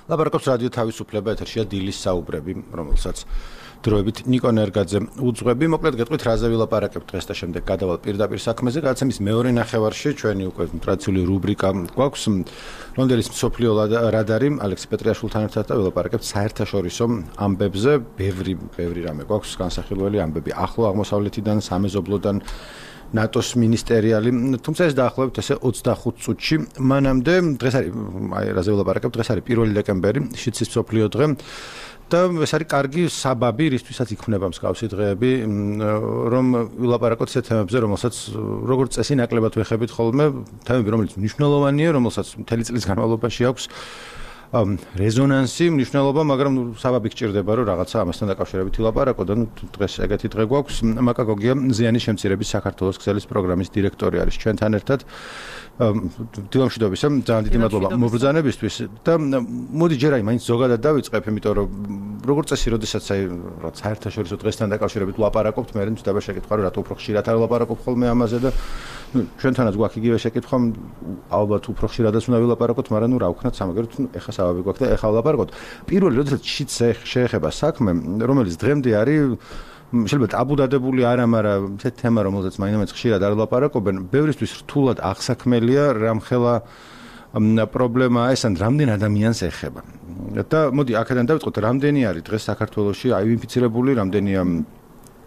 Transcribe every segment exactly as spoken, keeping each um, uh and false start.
ლაპარაკობს რადიო თავისუფლება, ეთერშია დილის საუბრები, რომელსაც დროებით ნიკო ნერგაძე უძღვები. მოკლედ გეტყვით რაზე ვილაპარაკებთ დღეს და შემდეგ გადავალ პირდაპირ საქმეზე. გადაცემის მეორე ნახევარში ჩვენი უკვე ტრადიციული რუბრიკა გვაქვს ლონდონის მსოფლიო რადარი ალექსი პეტრიაშვილთან ერთად და ვილაპარაკებთ საერთაშორისო ამბებზე. ბევრი ბევრი რამე გვაქვს განსახილველი ამბები ახლო აღმოსავლეთიდან, სამეზობლოდან, ნატოს მინისტერიალი, თუმცა ეს დაახლოებით ესე ოცდახუთ წუთში. მანამდე დღეს არის აი რაზე ვილაპარაკებთ, დღეს არის პირველი დეკემბერი, შიცის მსოფლიო დღე. და ეს არის კარგი საბაბი, რისთვისაც იქმნება მსგავსი დღეები, რომ ვილაპარაკოთ ისეთ თემებზე, რომელსაც როგორც წესი ნაკლებად ვეხებით ხოლმე, თემები, რომელიც მნიშვნელოვანია, რომელსაც მთელი წლის განმავლობაში აქვს რეზონანსი, მნიშვნელობა, მაგრამ საბაბი გჭირდება, რომ რაღაცა ამასთან დაკავშირებით ვილაპარაკო და დღეს ეგეთი დღე გვაქვს. მაკა გოგია ზიანის შემცირების საქართველოს ქსელის პროგრამის დირექტორი არის ჩვენთან ერთად. დილამშვიდობისა, ძალიან დიდი მადლობა მობრძანებისთვის და მოდი ჯერ აი მაინც ზოგადად დავიწყებ, იმიტომ რომ როგორც წესი, როდესაც აი საერთაშორისო დღესთან დაკავშირებით ვლაპარაკობთ, მე მცდaba შეკითხვა, რომ რატო უფრო ხშირად არ ვლაპარაკობ ხოლმე ამაზე და ჩვენთანაც გვაქვს იგივე შეკითხვა, ალბათ უფრო ხშირადაც უნდა ვილაპარაკოთ, მაგრამ ნუ რა ვქნათ, სამაგეროთ ეხა საბაბი გვაქვს და ეხა ვლაპარაკოთ. პირველი, როდესაც შიც შეეხება საქმე, რომელიც დღემდე არის შეიძლება ტაბუდადებული არა, მაგრამ ეს თემა, რომელზეც მაინც ხშირად არ ვლაპარაკობენ, ბევრისთვის რთულად აღსაქმელია, რამხელა პრობლემაა ეს, ან რამდენ ადამიანს ეხება. და მოდი აქედან დავიწყოთ, რამდენი არის დღეს საქართველოში აივინფიცირებული, რამდენია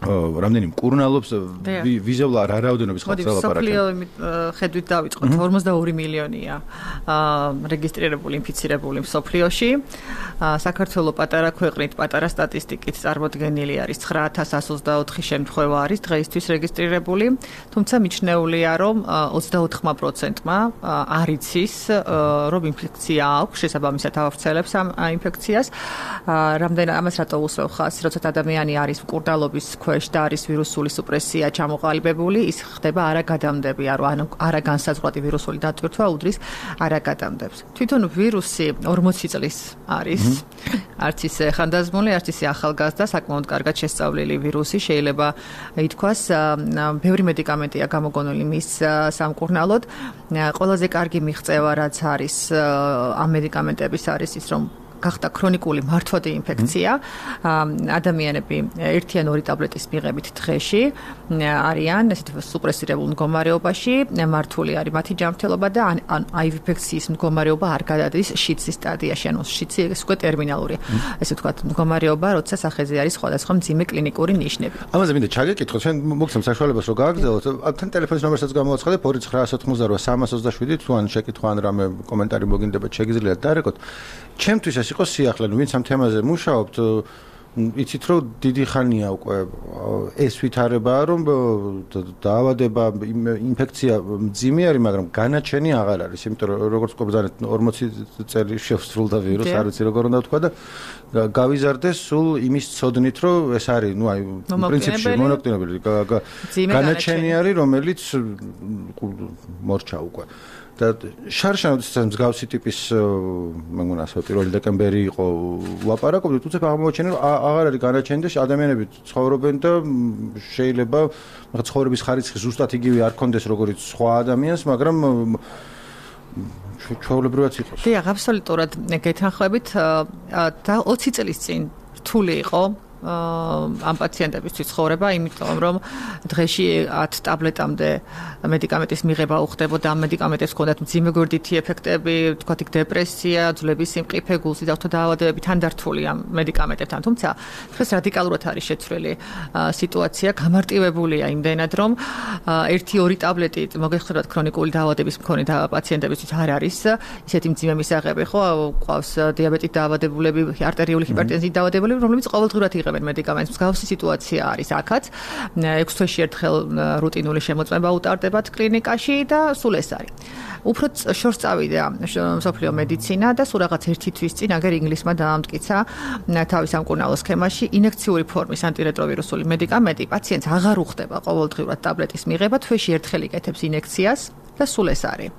რამდენი მკურნალობს, ვიზევლ რა რაოდენობის ხალხს ელაპარაკებთ? მსოფლიო ხედვით დავიწყოთ, ორმოცდაორი მილიონია რეგისტრირებული ინფიცირებული მსოფლიოში. საქართველოს პატარა ქვეყნით, პატარა სტატისტიკით წარმოდგენილი არის ცხრა ათას εκατს ოცდაოთხი შემთხვევა არის დღეისთვის რეგისტრირებული, თუმცა მიჩნეულია, რომ ოცდაოთხ პროცენტმა არ იცის, რომ ინფექცია აქვს, შესაბამისად ავრცელებს ამ ინფექციას. რამდენ ამას რატო უსვევ ხაზს, როცა ადამიანი არის მკურნალობის ქვეშ და არის ვირუსული სუპრესია ჩამოყალიბებული, ის ხდება არაგადამდები, ანუ არაგანსაზღვრადი ვირუსული დატვირთვა უდრის არაგადამდებს. თვითონ ვირუსი ორმოცი წლის არის, არც ისე ხანდაზმული, არც ისე ახალგაზრდა, საკმაოდ კარგად შესწავლილი ვირუსი, შეიძლება ითქვას, ბევრი მედიკამენტია გამოგონილი მის სამკურნალოდ. ყველაზე კარგი მიღწევა რაც არის ამ მედიკამენტების არის ის, რომ გახდა ქრონიკული მართვადი ინფექცია. ადამიანები ერთი ან ორი ტაბლეტის მიღებით დღეში არიან ესეთ სუპრესირებულ მდგომარეობაში, მართული არის მათი ჯანმრთელობა და ან აივინფექციის მდგომარეობა არ გადადის შიცის სტადიაში, ანუ შიცი ეს უკვე ტერმინალურია. ესე ვთქვათ, მდგომარეობა, როცა სახეზე არის სხვადასხვა მძიმე კლინიკური ნიშნები. ამაზე მინდა ჩაგეკითხოთ, ჩვენ მოგცემ საშუალებას რომ გააგრძელოთ. თან ტელეფონის ნომერსაც გამოვაცხადებ ორი ცხრა ათი სამას ოცდაშვიდი, თუ ან შეკითხვა ან რამე კომენტარი მოგინდებათ, შეგიძლიათ დაარეკოთ. ჩემთვის ეს იყო სიახლე, ნუ ვინც ამ თემაზე მუშაობთ, იცით რომ დიდი ხანია უკვე ეს ვითარებაა, რომ დაავადება, ინფექცია მძიმე არის, მაგრამ განაჩენი აღარ არის, იმიტომ რომ როგორც ყობრძანეთ ორმოცი წელი შევსრულდა ვირუსი, არ ვიცი როგორ უნდა ვთქვა და გავიზარდეს სულ იმის ცოდნით, რომ ეს არის, ნუ აი პრინციპში მონოკლინებელი განაჩენი არის, რომელიც მორჩა უკვე. და შარშანოდის მსგავსი ტიპის მე მგონი ასე პირველი დეკემბერი იყო ვლაპარაკობდით, თუმცა აღმოჩენე რომ აღარ არის განაჩენი და ადამიანები ცხოვრობენ და შეიძლება მაგ ცხოვრების ხარისხი ზუსტად იგივე არ კონდეს როგორც სხვა ადამიანს, მაგრამ ჩვეულებრივად იყოს. დიახ, აბსოლუტურად გეთანხმებით და ოცი წლის წინ რთული იყო ამ პაციენტებისთვის ცხოვრება, იმიტომ რომ დღეში ათ ტაბლეტამდე მედიკამენტის მიღება უხდებოდა, ამ მედიკამენტებს ჰქონდათ მძიმე გვერდითი ეფექტები, თქვათ იქ დეპრესია, ძვლების სიმყიფე, გულსიძახთო დაავადებები, თანდართული ამ მედიკამენტებთან. თუმცა დღეს რადიკალურად არის შეცვლილი სიტუაცია, გამარტივებულია იმდენად, რომ ერთი ორი ტაბლეტი მოგეხსენებათ ქრონიკული დაავადების მქონე პაციენტებისთვის არ არის ისეთი მძიმე მისაღები, ხო, ყავს დიაბეტით დაავადებულები, არტერიული ჰიპერტენზიით დაავადებულები, რომლებიც ყოველდღურად იღებენ მედიკამენტს. მსგავსი სიტუაცია არის აქაც. ექვს თვეში ერთხელ რუტინული შემოწმება უტარდებათ კლინიკაში და სულ ეს არის. უფრო შორს წავიდა მსოფლიო მედიცინა და სულ რაღაც ერთი თვის წინ აგერ ინგლისმა დაამტკიცა თავის სამკურნალო სქემაში ინექციური ფორმის ანტირეტროვირუსული მედიკამენტი პაციენტს აღარ უხდება ყოველდღიურად ტაბლეტის მიღება, თვეში ერთხელ იკეთებს ინექციას და სულ ეს არის.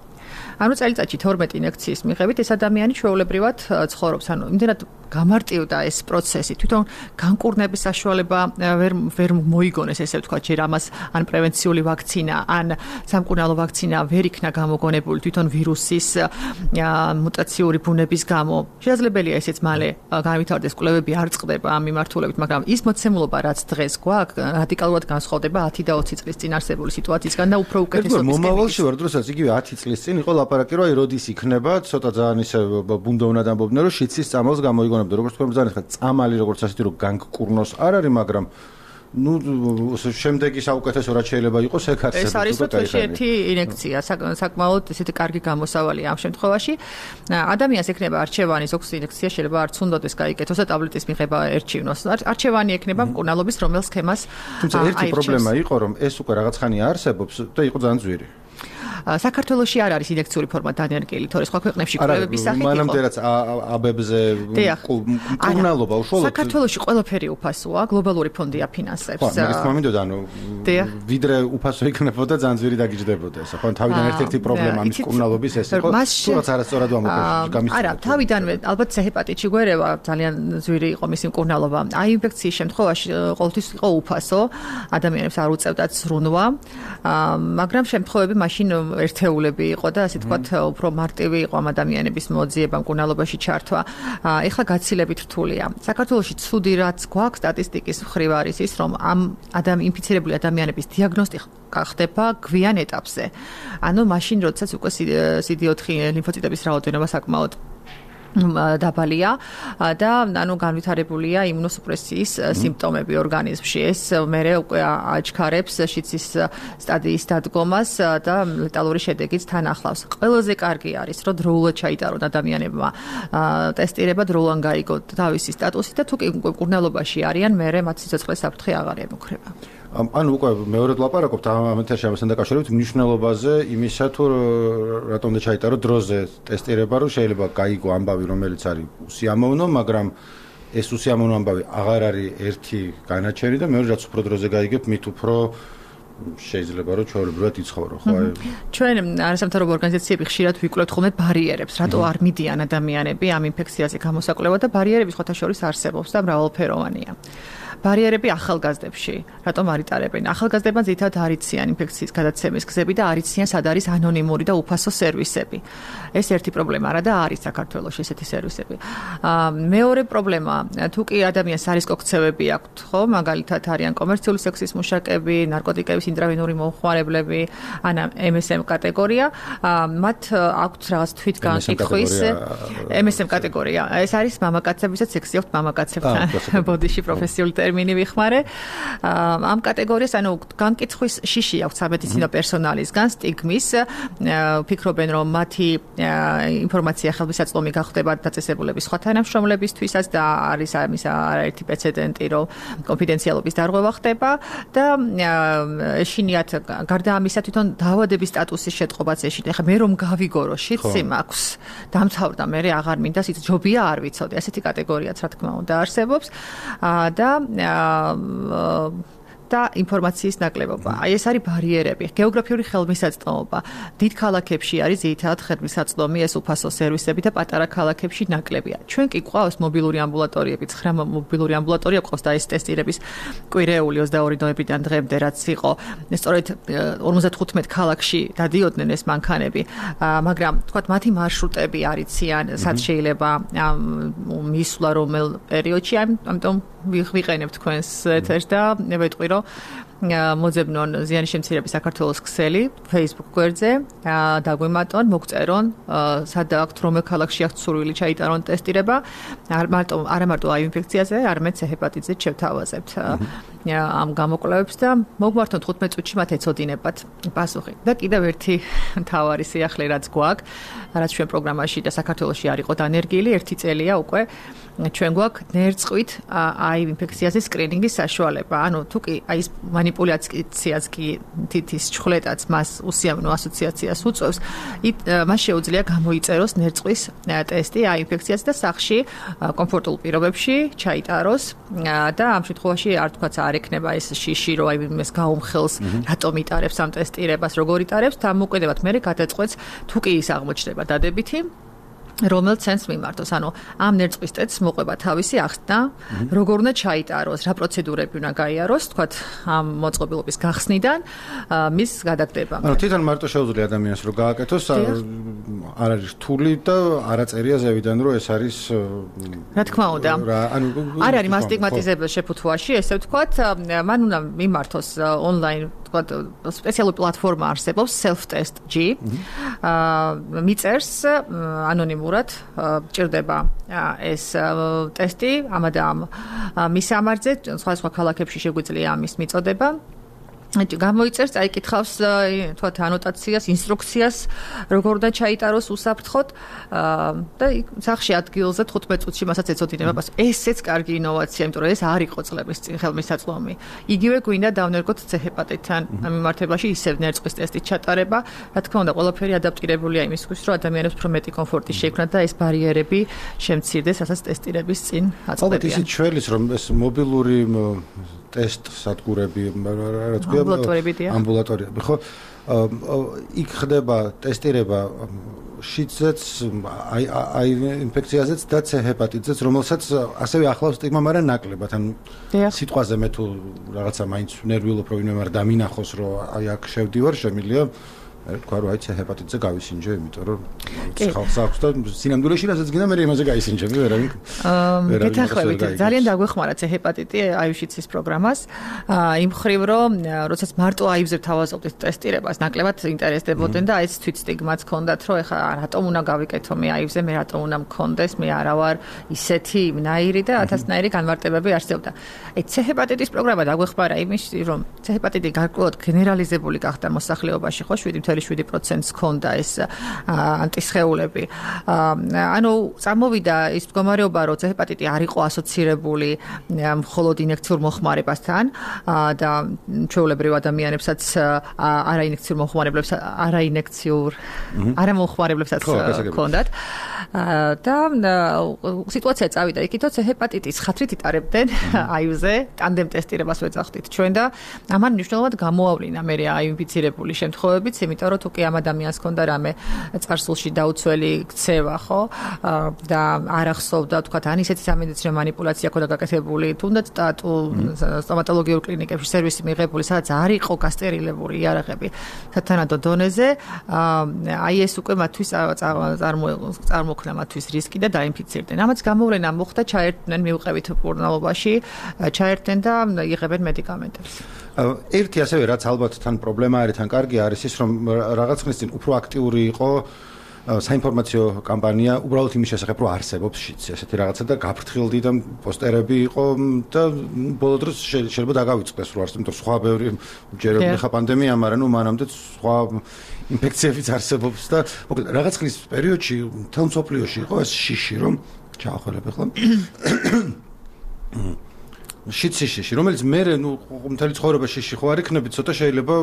ანუ წელიწადში თორმეტი ინიექციის მიღებით ეს ადამიანი ჩვეულებრივად ცხოვრობს, ანუ იმდენად გამარტივდა ეს პროცესი, თვითონ განკურნების საშუალება ვერ ვერ მოიგონეს, ესე ვთქვათ, ჯერ ამას ან პრევენციული ვაქცინა, ან სამკურნალო ვაქცინა ვერ იქნა გამოგონებული თვითონ ვირუსის მუტაციური ბუნების გამო. შესაძლებელია ესეც მალე განვითარდეს, კვლევები არ წყდება ამ მიმართულებით, მაგრამ ის მოცემულობა, რაც დღეს გვაქვს, რადიკალურად განსხვავდება ათი და ოცი წლის წინ არსებული სიტუაციისგან და უფრო უკეთესობის. მომავალში ვარ, დროსაც იგივე ათი წლის წინ იყო ლაპარაკი, რომ აი როდის იქნება, ცოტა ძალიან ისე ბუნდოვნად ამბობდნენ, რომ შიცის წამალს გამოიგონებდა, როგორც თქვენ ბრძანეთ, ხა წამალი როგორც ასეთი რომ განკურნოს არ არის, მაგრამ ну, შემდეგი საუკეთესო რაც შეიძლება იყოს, ეგ არსებობს. ეს არის თვითონ ერთი ინიექცია, საკმაოდ ესეთი კარგი გამოსავალია ამ შემთხვევაში. ადამიანს ექნება არჩევანი, ზოგს ინიექცია შეიძლება არც უნდადეს გაიკეთოს და ტაბლეტის მიღება ერჩივნოს. არჩევანი ექნება მკურნალობის რომელ სქემას. თუმცა ერთი პრობლემა იყო, რომ ეს უკვე რაღაც ხანია არსებობს და იყო ძალიან ძვირი. საქართველოში არ არის ინიექციური ფორმა დანერგილი, თორე სხვა ქვეყნებში კვლევების სახით იყო. მანამდე რაც აბებზე მკურნალობა უშუალოდ საქართველოში ყველაფერი უფასოა, გლობალური ფონდი აფინანსებს. ხო, მაგის მომიდოდა, ანუ ვიდრე უფასო იქნებოდა, ძალიან ძვირი დაგიჯდებოდა ეს. ხო, თავიდან ერთ-ერთი პრობლემა ამის მკურნალობის ეს იყო. თუმცა არასწორად ვამბობ. არა, თავიდანვე ალბათ ჰეპატიტში გვერევა ძალიან ძვირი იყო მისი მკურნალობა. აი ინფექციის შემთხვევაში ყოველთვის იყო უფასო, ადამიანებს არ უწევდათ ზრუნვა, მაგრამ შემთხვევები მაშინ ერთეულები იყო და ასე თქვათ უფრო მარტივი იყო ამ ადამიანების მოძიება მკურნალობაში ჩართვა. ეხლა გაცილებით რთულია. საქართველოში ცუდი რაც გვაქვს სტატისტიკის მხრივ არის ის, რომ ამ ადამ ინფიცირებული ადამიანების დიაგნოსტიკა ხდება გვიან ეტაპზე. ანუ მაშინ, როდესაც უკვე სი დი ოთხი ლიმფოციტების რაოდენობა საკმაოდ დაბალია და ანუ განვითარებულია იმუნოსუპრესიის სიმპტომები ორგანიზმში. ეს მერე უკვე აჩქარებს შიცის სტადიის დადგომას და ლეტალური შედეგიც თან ახლავს. ყველაზე კარგი არის, რომ დროულად ჩაიტარონ ადამიანებმა ტესტირება, დროულად გაიგო თავისი სტატუსი და თუ კი მკურნალობაში არიან, მერე მათ სიცოცხლეს საფრთხე აღარ ემუქრება. ანუ უკვე მეორედ ლაპარაკობთ ამ ეთერში ამასთან დაკავშირებით მნიშვნელობაზე იმისა, თუ რატომ და ჩაიტარო დროზე ტესტირება, რომ შეიძლება გაიგო ამბავი, რომელიც არის უსიამოვნო, მაგრამ ეს უსიამოვნო ამბავი აღარ არის ერთი განაჩენი და მეორე რაც უფრო დროზე გაიგებ, მით უფრო შეიძლება რომ ჩვეულებრივად იცხოვრო, ხო? ჩვენ არასამთავრობო ორგანიზაციები ხშირად ვიკვლევთ ხოლმე ბარიერებს, რატო არ მიდიან ადამიანები ამ ინფექციაზე გამოსაკვლევად და ბარიერები სხვათა შორის არსებობს და მრავალფეროვანია. ბარიერები ახალგაზრდებში, რატომ არ იტარებენ? ახალგაზრდებმა ძირითადად არ იციან ინფექციის გადაცემის გზები და არ იციან სად არის ანონიმური და უფასო სერვისები. ეს ერთი პრობლემა რა და არის საქართველოში ესეთი სერვისები. მეორე პრობლემა, თუ კი ადამიანს არისკო ქცევები აქვთ, ხო, მაგალითად არიან კომერციული სექსის მუშაკები, ნარკოტიკების ინტრავენური მომხმარებლები, ან ემ ეს ემ კატეგორია, მათ აქვთ რაღაც თვითგანკითხვის ემ ეს ემ კატეგორია. ეს არის მამაკაცებისაც სექსი აქვთ მამაკაცებთან, ბოდიში პროფესიული ტერმინი ვიხმარე. ამ კატეგორიას ანუ განკითხვის შიში აქვს სამედიცინო პერსონალისგან, სტიგმის, ფიქრობენ რომ მათი ინფორმაცია ხელმისაწვდომი გახდება დაწესებულების სხვა თანამშრომლებისთვისაც და არის ამის არაერთი პრეცედენტი, რომ კონფიდენციალობის დარღვევა ხდება და ეშინიათ გარდა ამისა თვითონ დაავადების სტატუსის შეტყობაც ეშინიათ. ეხლა მე რომ გავიგო რომ შიცი მაქვს, დამთავრდა, მე აღარ მინდა სიც ჯობია არ ვიცოდე. ასეთი კატეგორიაც რა თქმა უნდა არსებობს და და ინფორმაციის ნაკლებობა. აი ეს არის ბარიერები, გეოგრაფიული ხელმისაწვდომობა. დიდ ქალაქებში არის ძირითადად ხელმისაწვდომი ეს უფასო სერვისები და პატარა ქალაქებში ნაკლებია. ჩვენ კი გვყავს მობილური ამბულატორიები, ცხრა მობილური ამბულატორია გვყავს და ეს ტესტირების კვირეული ოცდაორი ნოემბრიდან დღემდე რაც იყო. სწორედ ორმოცდათხუთმეტ ქალაქში დადიოდნენ ეს მანქანები, მაგრამ თქვათ მათი მარშრუტები არ იციან, სად შეიძლება მისვლა რომელ პერიოდში, ამიტომ ვიყენებ თქვენს ეთერს და ვეტყვი რომ მოძებნონ ზიანის შემცირების საქართველოს ქსელი Facebook გვერდზე, დაგვიმატონ, მოგწერონ, სად აქვთ რომელ ქალაქში აქვთ სურვილი ჩაიტარონ ტესტირება, არ მარტო არა მარტო აი ინფექციაზე, არამედ ჰეპატიტზე შევთავაზებთ ამ გამოკვლევებს და მოგმართონ თხუთმეტ წუთში მათ ეცოდინებათ პასუხი. და კიდევ ერთი მთავარი სიახლე რაც გვაქვს, რაც ჩვენ პროგრამაში და საქართველოში არ იყო დანერგილი, ერთი წელია უკვე ჩვენ გვაქვს ნერწყვით აი ინფექციაზე სკრინინგის საშუალება. ანუ თუ კი აი ეს манипуляციას კი თითის ჩხლეტაც მას უსიამოვნო ასოციაციას უწევს, მას შეუძლია გამოიწეროს ნერწყვის ტესტი აი ინფექციაზე და სახლში კომფორტულ პირობებში ჩაიტაროს და ამ შემთხვევაში არ თქვაც არ ექნება ეს შიში, რომ აი იმეს გაუმხელს, რატომ იტარებს ამ ტესტირებას, როგორ იტარებს, დამოუკიდებლად მე გადაწყვეტს თუ კი ის აღმოჩნდება დადებითი რომელ ცენტრს მიმართოს. ანუ ამ ნერწყვის ტესტს მოყვება თავისი ახსნა, როგორ უნდა ჩაიტაროს, რა პროცედურები უნდა გაიაროს, თქვათ ამ მოწყობილობის გახსნიდან მის გადაგდება. ანუ თვითონ მარტო შეუძლია ადამიანს რომ გააკეთოს, არ არის რთული და არაწერია ზევიდან რომ ეს არის რა თქმა უნდა. ანუ არ არის მასტიგმატიზებელ შეფუთვაში, ესე ვთქვათ, მან უნდა მიმართოს ონლაინ სპეციალური პლატფორმა არსებობს self-test.g. მიწერს ანონიმურად ჭირდება ეს ტესტი ამადამ მისამართზე სხვა სხვა ქალაქებში შეგვიძლია ამის მიწოდება. გამოიწერს, წაიკითხავს თქვათ ანოტაციას, ინსტრუქციას, როგორ უნდა ჩაიტაროს უსაფრთხოდ და სახში ადგილზე თხუთმეტ წუთში მასაც ეცოდინება. ესეც კარგი ინოვაცია, იმიტომ რომ ეს არ იყო წლების წინ ხელმისაწვდომი. იგივე გვინდა დავნერგოთ ცეჰეპატიტთან მიმართებაში ისევ ნერწყვის ტესტის ჩატარება. რა თქმა უნდა, ყველაფერი ადაპტირებულია იმისთვის, რომ ადამიანებს უფრო მეტი კომფორტი შეექმნათ და ეს ბარიერები შემცირდეს, რასაც ტესტირების წინ აწყდებიან. ალბათ ისიც შველის, რომ ეს მობილური ტესტ სადგურები, რა თქმა უნდა, ამბულატორიები, ხო? იქ ხდება ტესტირება შიდზეც, აი აი ინფექციაზეც და C ჰეპატიტზეც, რომელსაც ასევე ახლავს სტიგმა, მაგრამ ნაკლებად. ანუ სიტყვაზე მე თუ რაღაცა მაინც ნერვიულობ, რომ ვინმე არ დამინახოს, რომ აი აქ შევდივარ, შემიძლია თქვა რომ აი C ჰეპატიტზე გავისინჯე, იმიტომ რომ ხალხს აქვს და სინამდვილეში რასაც გინდა მე იმაზე გაისინჯები, ვერავინ. გეთანხმებით, ძალიან დაგვეხმარა C ჰეპატიტი აიუშიცის პროგრამას. იმ მხრივ რომ როდესაც მარტო აივზე თავაზობდით ტესტირებას, ნაკლებად ინტერესდებოდნენ და ეს თვით სტიგმაც ჰქონდათ, რომ ეხლა რატომ უნდა გავიკეთო მე აივზე, მე რატომ უნდა მქონდეს, მე არა ვარ ისეთი იმნაირი და ათასნაირი განმარტებები არსებობდა. აი C ჰეპატიტის პროგრამა დაგვეხმარა იმის, რომ C ჰეპატიტი გარკვეულად გენერალიზებული გახდა მოსახლეობაში, ხო, შვიდი შვიდი პროცენტს ჰქონდა ეს ანტისხეულები. ანუ წამოვიდა ის მდგომარეობა, რომ C ჰეპატიტი არ იყო ასოცირებული მხოლოდ ინექციურ მოხმარებასთან და ჩვეულებრივ ადამიანებსაც არაინექციურ მოხმარებლებს არაინექციურ არამოხმარებლებსაც ჰქონდათ. და სიტუაცია წავიდა იქითო C ჰეპატიტის ხათრით იტარებდნენ აივზე ტანდემ ტესტირებას ვეძახდით ჩვენ და ამან მნიშვნელოვნად გამოავლინა მე აინფიცირებული შემთხვევებიც, იმიტომ რომ თუ კი ამ ადამიანს ჰქონდა რამე წარსულში დაუცველი ქცევა, ხო? და არ ახსოვდა, თქვათ, ან ისეთი სამედიცინო манипуляცია ქონდა გაკეთებული, თუნდაც სტატუ სტომატოლოგიურ კლინიკებში სერვისი მიღებული, სადაც არ იყო გასტერილებული იარაღები სათანადო დონეზე, აი ეს უკვე მათთვის წარმოქმნა მათთვის რისკი და დაინფიცირდნენ. ამაც გამოვლენა მოხდა, ჩაერთდნენ მიუყევით მკურნალობაში, ჩაერთდნენ და იღებენ მედიკამენტებს. ერთი ასევე რაც ალბათ თან პრობლემა არის, თან კარგი არის ის, რომ რაღაც ხნის წინ უფრო აქტიური იყო საინფორმაციო კამპანია, უბრალოდ იმის შესახებ, რომ არსებობს შიც ესეთი რაღაცა და გაფრთხილდი და პოსტერები იყო და ბოლო დროს შეიძლება დაგავიწყდეს, რომ არსებობს, იმიტომ სხვა ბევრი ჯერები ხა პანდემია, მაგრამ ნუ მანამდე სხვა ინფექციებიც არსებობს და მოკლედ რაღაც ხნის პერიოდში თელ მსოფლიოში იყო ეს შიში, რომ ჩაახვალებ ახლა შიში, რომელიც მე ნუ მთელი ცხოვრება შიში ხო არ იქნები, ცოტა შეიძლება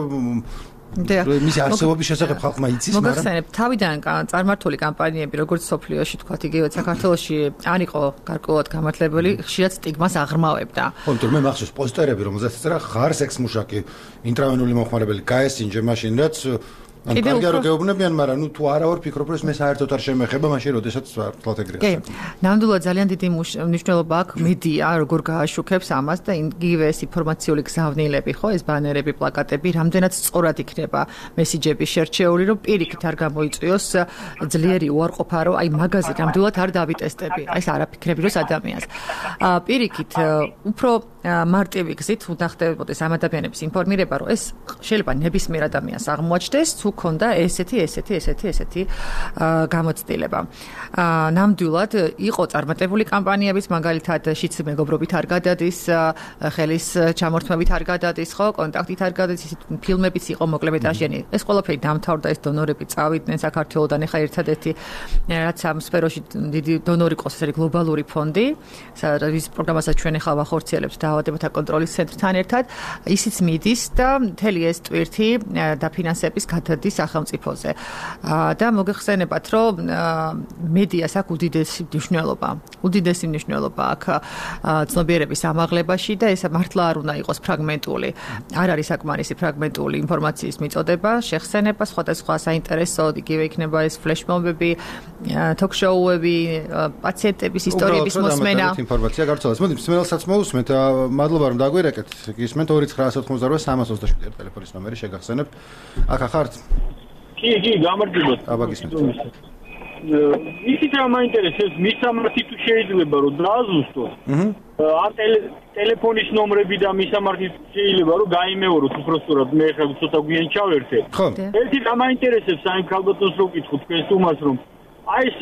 მისი არსებობის შესახებ ხალხმა იცის, მაგრამ მოგახსენებ, თავიდან წარმართული კამპანიები, როგორც სოფლიოში, თქვათ, იგივე საქართველოში არ იყო გარკვეულად გამართლებელი, ხშირად სტიგმას აღრმავებდა. ხო, იმიტომ მე მახსოვს პოსტერები, რომელზეც წერა ხარ სექს მუშაკი, ინტრავენული მოხმარებელი, გაესინჯე მაშინ, რაც ან კარგია რომ გეუბნებიან, მაგრამ ნუ თუ არა ვარ ფიქრობ, რომ ეს მე საერთოდ არ შემეხება, მაშინ როდესაც ვთვალთ ეგრეა. კი. ნამდვილად ძალიან დიდი მნიშვნელობა აქვს მედია, როგორ გააშუქებს ამას და იგივე ეს ინფორმაციული გზავნილები, ხო, ეს ბანერები, პლაკატები, რამდენად სწორად იქნება მესიჯები შერჩეული, რომ პირიქით არ გამოიწვიოს ძლიერი უარყოფა, რომ აი მაგაზე ნამდვილად არ დავიტესტები. აი ეს არაფიქრები როს ადამიანს. პირიქით უფრო მარტივი გზით უნდა ხდებოდეს ამ ადამიანების ინფორმირება, რომ ეს შეიძლება ნებისმიერ ადამიანს აღმოაჩნდეს, თუ თუ ქონდა ესეთი, ესეთი, ესეთი, ესეთი გამოცდილება. ნამდვილად იყო წარმატებული კამპანიებიც, მაგალითად შიც მეგობრობით არ გადადის, ხელის ჩამორთმებით არ გადადის, ხო, კონტაქტით არ გადადის, ფილმებიც იყო მოკლემეტრაჟიანი. ეს ყველაფერი დამთავრდა, ეს დონორები წავიდნენ საქართველოდან, ეხლა ერთადერთი რაც ამ სფეროში დიდი დონორი ყავს, ეს არის გლობალური ფონდი, რის პროგრამასაც ჩვენ ეხლა ვახორციელებთ დაავადებათა კონტროლის ცენტრთან ერთად, ისიც მიდის და მთელი ეს ტვირთი დაფინანსების გადადის სახელმწიფოზე. და მოგეხსენებათ, რომ მედიას აქვს უდიდესი მნიშვნელობა. უდიდესი მნიშვნელობა აქვს ცნობიერების ამაღლებაში და ეს მართლა არ უნდა იყოს ფრაგმენტული. არ არის საკმარისი ფრაგმენტული ინფორმაციის მიწოდება, შეხსენება, სხვადასხვა საინტერესო, იგივე იქნება ეს ფლეშმობები, თოქ-შოუები, პაციენტების ისტორიების მოსმენა. ინფორმაცია გავრცელდეს. მოდი, მსმენელსაც მოусმენთ. მადლობა რომ დაგვირეკეთ. გისმენთ ორი ცხრა ათი ოცდაოთხი სამას ოცდაშვიდი ტელეფონის ნომერი შეგახსენებთ. აქ ახართ? კი, კი, გამარჯობათ. აბა გისმენთ. ისიც რა მაინტერესებს, მის სამართი თუ შეიძლება რომ დააზუსტოს. აჰა. ან ტელეფონის ნომრები და მის სამართი შეიძლება რომ გაიმეოროთ უბრალოდ მე ხა ცოტა გვიან ჩავერთე. ხო. ერთი რა მაინტერესებს აი ქალბატონს რო გითხოთ თქვენს უმას რომ აი ეს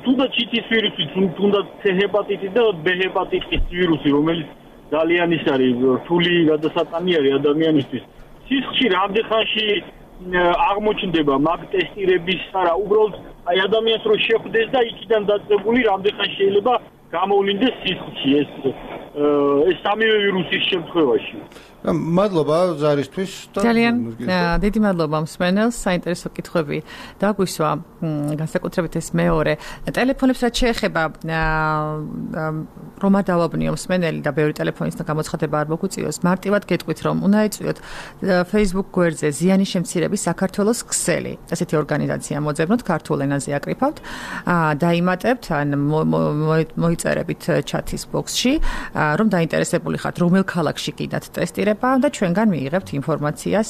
თუნდაც ჩიტის ვირუსი, თუნდაც C ჰეპატიტი და B ჰეპატიტის ვირუსი, რომელიც ძალიან ის არის რთული გადასატანი არის ადამიანისთვის. სისხლში რამდენ ხანში აღმოჩნდება მაგ ტესტირების არა, უბრალოდ აი ადამიანს რო შეხვდეს და იქიდან დაწყებული რამდენ ხანში შეიძლება გამოვლინდეს სისხლში ეს ეს სამივე ვირუსის შემთხვევაში. მადლობა ზარისთვის და ძალიან დიდი მადლობა მსმენელს, საინტერესო კითხვები დაგვისვა, განსაკუთრებით ეს მეორე ტელეფონებს რაც შეეხება რომ არ დავაბნიო მსმენელი და ბევრი ტელეფონის გამოცხადება არ მოგვიწიოს, მარტივად გეტყვით რომ უნდა ეწვიოთ Facebook გვერდზე ზიანის შემცირების საქართველოს ქსელი, ასეთი ორგანიზაცია მოძებნოთ, ქართულ ენაზე აკრიფავთ, დაიმატებთ ან მოიწერებით ჩათის ბოქსში, რომ დაინტერესებული ხართ რომელ ქალაქში კიდათ ტესტირება და ჩვენგან მიიღებთ ინფორმაციას.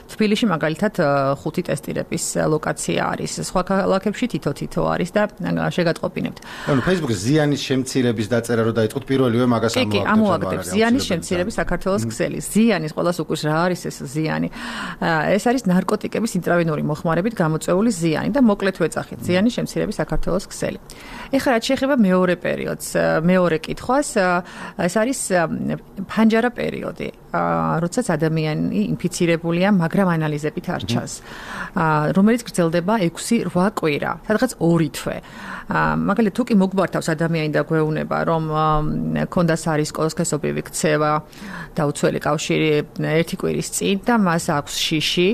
თბილისში მაგალითად ხუთი ტესტირების ლოკაცია არის, სხვა ქალაქებში თითო-თითო არის და შეგატყობინებთ. ანუ Facebook-ზე ზიანის შემცირების დაწერა რომ დაიწყოთ პირველივე მაგას ამოაგდებს. კი, ამოაგდებს ზიანის შემცირების საქართველოს ქსელი. ზიანის ყველას უკვე რა არის ეს ზიანი? ეს არის ნარკოტიკების ინტრავენური მოხმარებით გამოწვეული ზიანი და მოკლედ ვეძახით ზიანის შემცირების საქართველოს ქსელი. ეხლა რაც შეეხება მეორე პერიოდს, მეორე კითხვას, ეს არის ფანჯარა პერიოდი. როდესაც ადამიანი ინფიცირებულია, მაგრამ ანალიზებით არ ჩანს, რომელიც გრძელდება ექვსი რვა კვირა, სადღაც ორი თვე. მაგალითად, თუ კი მოგბართავს ადამიანი და გვეუბნება, რომ ქონდა სარისკოს სქესობრივი ქცევა და უცველი კავშირი ერთი კვირის წინ და მას აქვს შიში,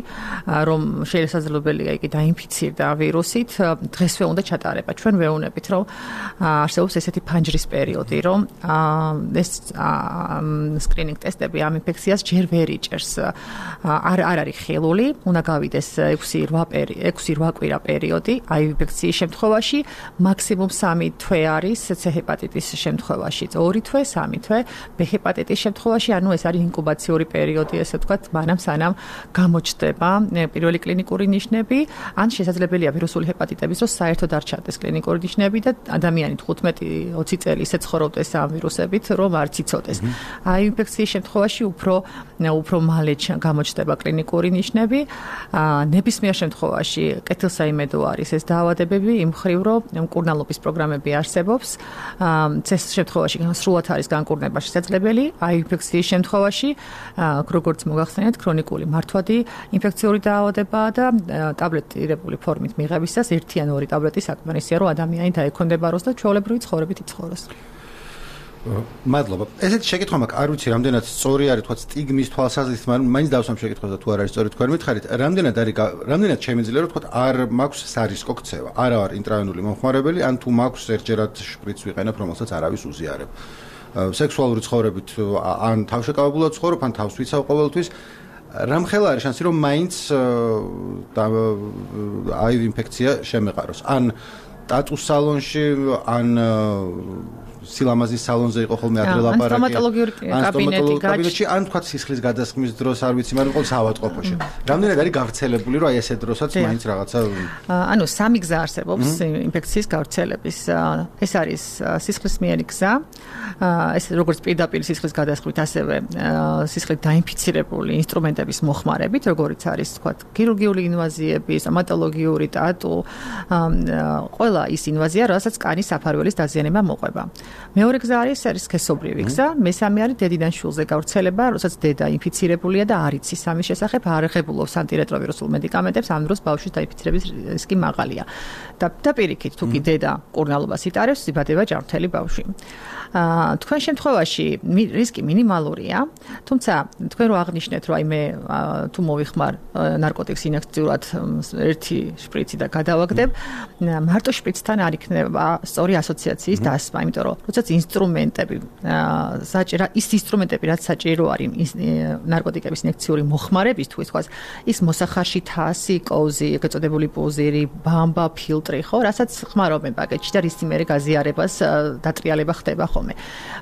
რომ შესაძლებელია იგი დაინფიცირდა ვირუსით, დღესვე უნდა ჩატარება. ჩვენ ვეუბნებით, რომ არსებობს ესეთი ფანჯრის პერიოდი, რომ ეს სკრინინგ ტესტები ამ ინფექციას ჯერ ვერ იჭერს. არ არ არის ხელული, უნდა გავიდეს ექვსი რვა კვირა პერიოდი, აი ინფექციის შემთხვევაში მაქსიმუმ სამი თვე არის C ჰეპატიტის შემთხვევაში, ორი თვე, სამი თვე, B ჰეპატიტის შემთხვევაში, ანუ ეს არის ინკუბაციური პერიოდი, ესე ვთქვათ, მანამ სანამ გამოჩნდება პირველი კლინიკური ნიშნები, ან შესაძლებელია ვირუსული ჰეპატიტების დროს საერთოდ არ ჩანდეს კლინიკური ნიშნები და ადამიანი თხუთმეტი ოცი წელი ისე ცხოვრობდეს ამ ვირუსებით, რომ არ იცოდეს. აი ინფექციის შემთხვევაში უფრო უფრო მალე გამოჩნდება კლინიკური ნიშნები. ნებისმიერ შემთხვევაში კეთილსაიმედო არის ეს დაავადებები, იმ მხრივ რომ მკურნალობის პროგრამები არსებობს. წეს შემთხვევაში სრულად არის განკურნება შესაძლებელი, აი ინფექციის შემთხვევაში, როგორც მოგახსენეთ, ქრონიკული მართვადი ინფექციური დაავადებაა და ტაბლეტირებული ფორმით მიღებისას ერთი ან ორი ტაბლეტი საკმარისია, რომ ადამიანი დაექვემდებაროს და ჩვეულებრივი ცხოვრებით იცხოვროს. მადლობა. ესეთი შეკითხვა მაქვს, არ ვიცი, რამდენად სწორი არის, თქვა სტიგმის თვალსაზრისით, მაგრამ მაინც დავსვამ შეკითხვას და თუ არ არის სწორი თქვენ მითხარით, რამდენად არის რამდენად შემიძლია რომ თქვა არ მაქვს სარისკო ქცევა, არა არ ინტრავენული მომხმარებელი, ან თუ მაქვს ერთჯერად შპრიცს ვიყენებ, რომელსაც არავის უზიარებ. სექსუალური ცხოვრებით ან თავშეკავებულად ცხოვრობ, ან თავს ვიცავ ყოველთვის. რამხელა არის შანსი, რომ მაინც აივ ინფექცია შემეყაროს. ან ტატუს სალონში, ან სილამაზის სალონზე იყო ხოლმე ადრე ლაპარაკი. ან სტომატოლოგიური კაბინეტი, ან თქვა სისხლის გადასხმის დროს არ ვიცი, მაგრამ ყოველ საავადმყოფოში. რამდენად არის გავრცელებული, რომ აი ესე დროსაც მაინც რაღაცა ანუ სამი გზა არსებობს ინფექციის გავრცელების. ეს არის სისხლისმიერი გზა, ეს როგორც პირდაპირ სისხლის გადასხმით, ასევე სისხლით დაინფიცირებული ინსტრუმენტების მოხმარებით, როგორც არის თქვა ქირურგიული ინვაზიები, სტომატოლოგიური, ტატუ, ყველა ის ინვაზია, რასაც კანის საფარველის დაზიანება მოყვება. მეორე გზა არის არის სქესობრივი გზა, მესამე არის დედიდან შვილზე გავრცელება, როცა დედა ინფიცირებულია და არ იცის ამის შესახებ, არ ეხებულობს ანტირეტროვირუსულ მედიკამენტებს, ამ დროს ბავშვის დაინფიცირების რისკი მაღალია. და და პირიქით, თუ კი დედა კურნალობას იტარებს, იბადება ჯანმრთელი ბავშვი. აა თქვენ შემთხვევაში რისკი მინიმალურია, თუმცა თქვენ რო აღნიშნეთ, რომ აი მე თუ მოვიხმარ ნარკოტიკს ინექციურად ერთი შპრიცი და გადავაგდებ, მარტო შპრიცთან არ იქნება სწორი ასოციაციის დასმა, იმიტომ რომ როდესაც ინსტრუმენტები საჭირო ის ინსტრუმენტები რაც საჭირო არის ნარკოტიკების ინექციური მოხმარებისთვის, თქვა ის მოსახარში თასი, კოვზი, ეგრეთ წოდებული პუზირი, ბამბა, ფილტრი, ხო, რასაც ხმარობენ პაკეტში და რის იმერე გაზიარებას დატრიალება ხდება ხოლმე.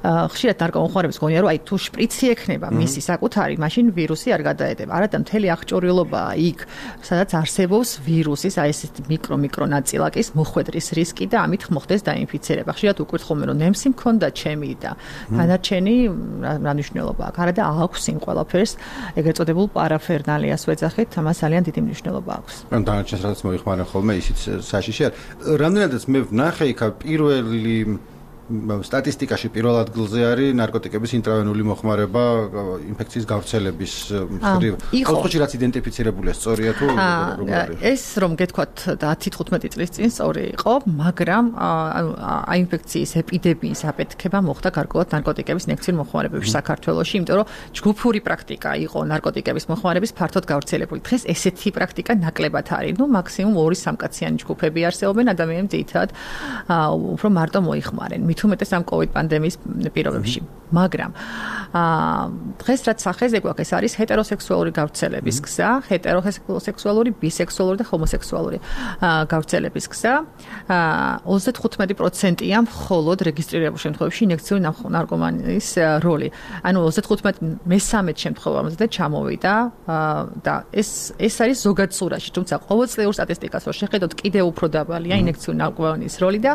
ხშირად ნარკომოხმარებს გონია, რომ აი თუ შპრიცი ექნება მისი საკუთარი, მაშინ ვირუსი არ გადაედება. არადა მთელი აღჭურვილობაა იქ, სადაც არსებობს ვირუსის, აი ეს მიკრო მიკრო ნაწილაკის მოხვედრის რისკი და ამით მოხდეს დაინფიცირება. ხშირად უკვირთ ხოლმე, რომ ნემსი მქონდა ჩემი და დანარჩენი რა მნიშვნელობა აქვს. არადა აქვს იმ ყველაფერს ეგრეთ წოდებულ პარაფერნალიას ვეძახით, ამას ძალიან დიდი მნიშვნელობა აქვს. ან დანარჩენს რაც მოიხმარენ ხოლმე, ისიც საშიში არ. რამდენადაც მე ვნახე იქ პირველი სტატისტიკაში პირველ ადგილზე არის ნარკოტიკების ინტრავენული მოხმარება ინფექციის გავრცელების მხრივ. ოთხი რაც იდენტიფიცირებულია, სწორია თუ როგორ არის? ეს რომ გეთქვათ ათი თხუთმეტი წლის წინ სწორი იყო, მაგრამ აი ინფექციის ეპიდემიის აფეთქება მოხდა გარკვეულად ნარკოტიკების ინექციურ მოხმარებებში საქართველოში, იმიტომ რომ ჯგუფური პრაქტიკა იყო ნარკოტიკების მოხმარების ფართოდ გავრცელებული. დღეს ესეთი პრაქტიკა ნაკლებად არის. ნუ მაქსიმუმ ორი სამკაციანი ჯგუფები არსებობენ, ადამიანები ძირითადად უფრო მარტო მოიხმარენ. მით უმეტეს ამ კოვიდ პანდემიის პირობებში. მაგრამ აა დღეს რაც სახეზე გვაქვს, ეს არის ჰეტეროსექსუალური გავრცელების გზა, ჰეტეროსექსუალური, ბისექსუალური და ჰომოსექსუალური გავრცელების გზა. აა ოცდათხუთმეტი პროცენტია მხოლოდ რეგისტრირებულ შემთხვევებში ინექციური ნარკომანიის როლი. ანუ ოცდათხუთმეტი მესამედ შემთხვევამდე ჩამოვიდა და ეს ეს არის ზოგად სურათში, თუმცა ყოველწლიურ სტატისტიკას რო შეხედოთ, კიდევ უფრო დაბალია ინექციური ნარკომანიის როლი და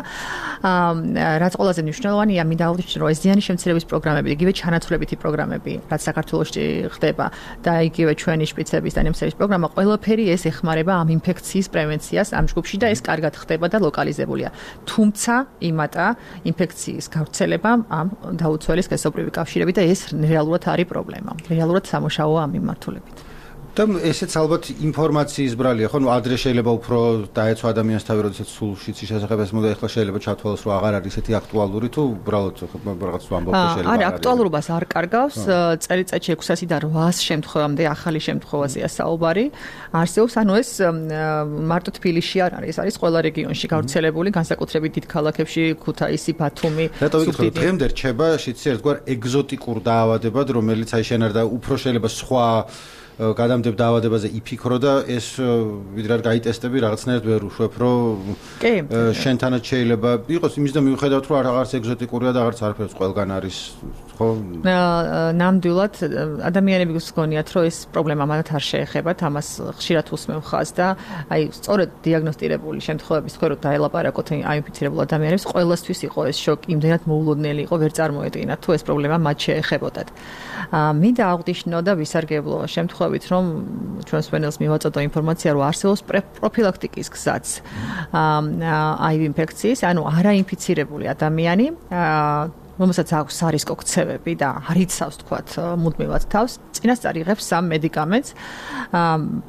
აა რაც ყველაზე მნიშვნელოვანია, მინდა აღვნიშნო, რომ ეს ზიანი შემცირების პროგრამები, იგივე ჩანაცვლებითი პროგრამები, რაც საქართველოში ხდება და იგივე ჩვენი შპიცების და ნემსების პროგრამა, ყველაფერი ეს ეხმარება ამ ინფექციის პრევენციას ამ ჯგუფში და ეს კარგად ხდება და ლოკალიზებულია. თუმცა იმატა ინფექციის გავრცელება ამ დაუცველი სქესობრივი კავშირები და ეს რეალურად არის პრობლემა. რეალურად სამუშაოა ამ მიმართულებით. და ესეც ალბათ ინფორმაციის ბრალია, ხო, ნუ ადრე შეიძლება უფრო დაეცვა ადამიანს თავი, როდესაც სულ შიცის შესახებ ეს მოდა ახლა შეიძლება ჩათვალოს, რომ აღარ არის ესეთი აქტუალური თუ უბრალოდ რაღაც ვამბობ შეიძლება. არა, აქტუალურობას არ კარგავს, წელიწადში ექვსასიდან რვას შემთხვევამდე ახალი შემთხვევაზეა საუბარი. არსებობს, ანუ ეს მარტო თბილისში არ არის, არის ყველა რეგიონში გავრცელებული, განსაკუთრებით დიდ ქალაქებში, ქუთაისი, ბათუმი, სუფთი. დღემდე რჩება შიცი ერთგვარ ეგზოტიკურ დაავადებად, რომელიც აი შენ არ და უფრო შეიძლება სხვა გადამდებ დაავადებაზე იფიქრო და ეს ვიდრე არ გაიტესტები რაღაცნაირად ვერ უშვებ, რომ შენთანაც შეიძლება იყოს იმის და მიუხედავად რომ რაღაც ეგზოტიკურია და რაღაც არაფერს ყველგან არის, ხო? ნამდვილად ადამიანები გსგონიათ, რომ ეს პრობლემა მათ არ შეეხებათ, ამას ხშირად უსმენ ხაზს და აი სწორედ დიაგნოსტირებული შემთხვევების თქვენ რომ დაელაპარაკოთ აინფიცირებულ ადამიანებს, ყველასთვის იყო ეს შოკი, იმდენად მოულოდნელი იყო, ვერ წარმოედგინათ თუ ეს პრობლემა მათ შეეხებოდათ. მინდა აღვნიშნო და ვისარგებლო შემთხვევით, რომ ჩვენს ვენელს მივაწოდო ინფორმაცია, რომ არსებობს პროფილაქტიკის გზაც აივ ინფექციის, ანუ არაინფიცირებული ადამიანი რომელსაც აქვს სარისკო ქცევები და არ იცავს თქვათ მუდმივად თავს, წინასწარ იღებს სამ მედიკამენტს,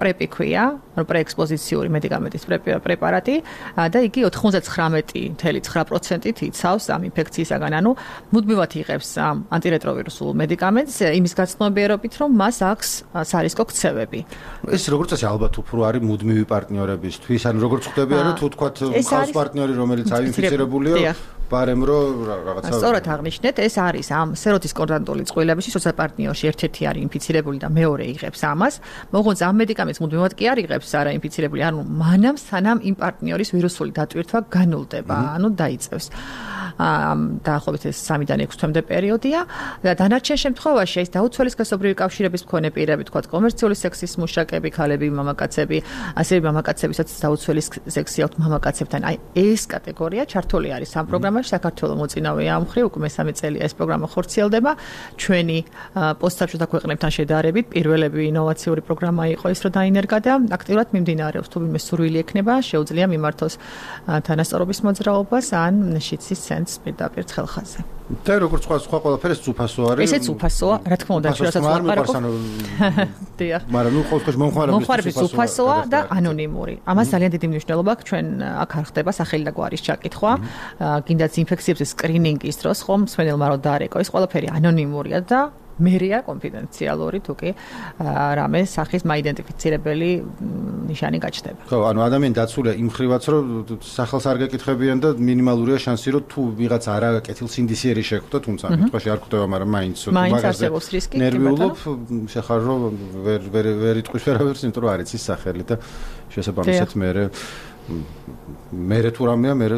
პრეპი ქვია, პრეექსპოზიციური მედიკამენტის პრეპარატი და იგი ოცდათხმეტი целых ცხრა პროცენტით იცავს ამ ინფექციისაგან, ანუ მუდმივად იღებს ანტირეტროვირუსულ მედიკამენტს იმის გაცნობიერობით, რომ მას აქვს სარისკო ქცევები. ეს როგორც წესი ალბათ უფრო არის მუდმივი პარტნიორებისთვის, ანუ როგორც ხვდები, რომ თუ თქვათ ხავს პარტნიორი, რომელიც აინფიცირებულია, ბარემ რო რაღაცა სწორად აღნიშნეთ, ეს არის ამ სეროთის კონტრანტული წყვილებისთვის, როცა პარტნიორში ერთ-ერთი არის ინფიცირებული და მეორე იღებს ამას, მოღონს ამ მედიკამენტს მუდმივად კი არ იღებს არაინფიცირებული, ანუ მანამ სანამ იმ პარტნიორის ვირუსული დატვირთვა განულდება, ანუ დაიწევს. დაახლოებით ეს სამიდან ექვსი თვემდე პერიოდია და დანარჩენ შემთხვევაში ეს დაუცველის გასობრივი კავშირების მქონე პირები, თქვა კომერციული სექსის მუშაკები, ქალები, მამაკაცები, ასევე მამაკაცებისაც დაუცველის სექსი აქვთ მამაკაცებთან. აი ეს კატეგორია ჩართული არის ამ პროგრამაში. საქართველოს მოწინავეა ამ მხრივ, უკვე მესამე წელია ეს პროგრამა ხორციელდება. ჩვენი პოსტსაბჭოთა ქვეყნებთან შედარებით პირველები ინოვაციური პროგრამა იყო ის, რომ დაინერგა და აქტიურად მიმდინარეობს. თუ ვინმე სურვილი ექნება, შეუძლია მიმართოს თანასწორობის მოძრაობას ან შიცის ცენტრს პირდაპირ ხელხაზე. და როგორც სხვა სხვა ყველაფერი უფასო არის. ესეც უფასოა, რა თქმა უნდა, ჩვენსაც ვაპარაკობ. დიახ. მაგრამ ნუ ყოველ შემთხვევაში მომხმარებლის უფასოა და ანონიმური. ამას ძალიან დიდი მნიშვნელობა აქვს. ჩვენ აქ არ ხდება სახელი და გვარის ჩაკითხვა. გინდაც ინფექციების სკრინინგის დროს ხომ მსმენელმა რო დაარეკო, ეს ყველაფერი ანონიმურია და მერია კონფიდენციალური თუ კი რამე სახის მაიდენტიფიცირებელი ნიშანი გაჩნდება. ხო, ანუ ადამიანი დაცულია იმ ხრივაც, რომ სახელს არ გეკითხებიან და მინიმალურია შანსი, რომ თუ ვიღაც არა კეთილსინდისიერი შეხვდა, თუმცა ამ შემთხვევაში არ ხვდება, მაგრამ მაინც მაგაზე ნერვიულობ, შეხარ რომ ვერ ვერ ვერ იტყვის ვერავერს, იმიტომ რომ არ იცის სახელი და შესაბამისად მე მერე თუ რამეა, მერე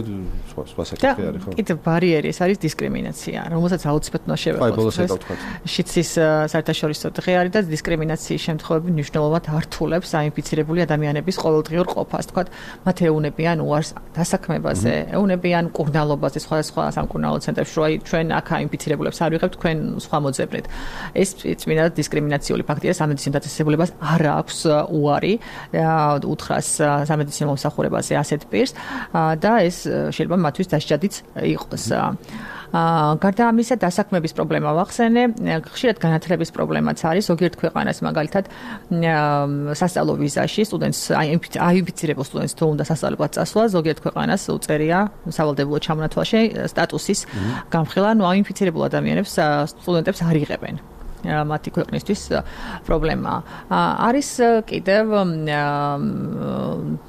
სხვა სხვა საკითხი არის, ხო? კიდევ ბარიერი ეს არის დისკრიმინაცია, რომელსაც აუცილებლად უნდა შევეხოთ. შიცის საერთაშორისო დღე არის და დისკრიმინაციის შემთხვევები მნიშვნელოვნად ართულებს აინფიცირებული ადამიანების ყოველდღიურ ყოფას. თქვათ, მათ ეუნებიან უარს დასაქმებაზე, ეუნებიან მკურნალობაზე, სხვადასხვა სამკურნალო ცენტრებში, რომ აი ჩვენ აქ აინფიცირებულებს არ ვიღებთ, თქვენ სხვა მოძებნით. ეს წმინდა დისკრიმინაციული ფაქტია, სამედიცინო დაწესებულებას არ აქვს უარი უთხრას სამედიცინო მომსახურებას ასეთ პირს და ეს შეიძლება მათთვის დასჯადიც იყოს. გარდა ამისა, დასაქმების პრობლემა ვახსენე, ხშირად განათლების პრობლემაც არის, ზოგიერთ ქვეყანას მაგალითად სასწავლო ვიზაში სტუდენტს აინფიცირებულ სტუდენტს თუ უნდა სასწავლებლად წასვლა, ზოგიერთ ქვეყანას უწერია სავალდებულო ჩამონათვალში სტატუსის გამხილა, ანუ აინფიცირებულ ადამიანებს სტუდენტებს არ იღებენ. მათი ქვეყნისთვის პრობლემაა. არის კიდევ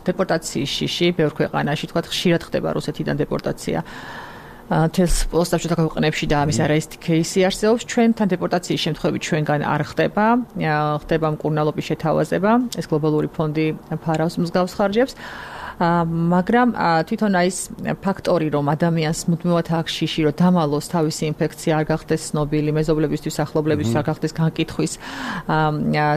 დეპორტაციის შიში ბევრ ქვეყანაში, თქვათ, ხშირად ხდება რუსეთიდან დეპორტაცია. თელს პოსტსაბჭოთა ქვეყნებში და ამის არაერთი кейსი არსებობს. ჩვენთან დეპორტაციის შემთხვევები ჩვენგან არ ხდება. ხდება მკურნალობის შეთავაზება. ეს გლობალური ფონდი ფარავს მსგავს ხარჯებს. მაგრამ თვითონ ის ფაქტორი, რომ ადამიანს მუდმივად აქვს შიში, რომ დამალოს თავისი ინფექცია არ გახდეს ცნობილი, მეზობლებისთვის, ახლობლებისთვის არ გახდეს განკითხვის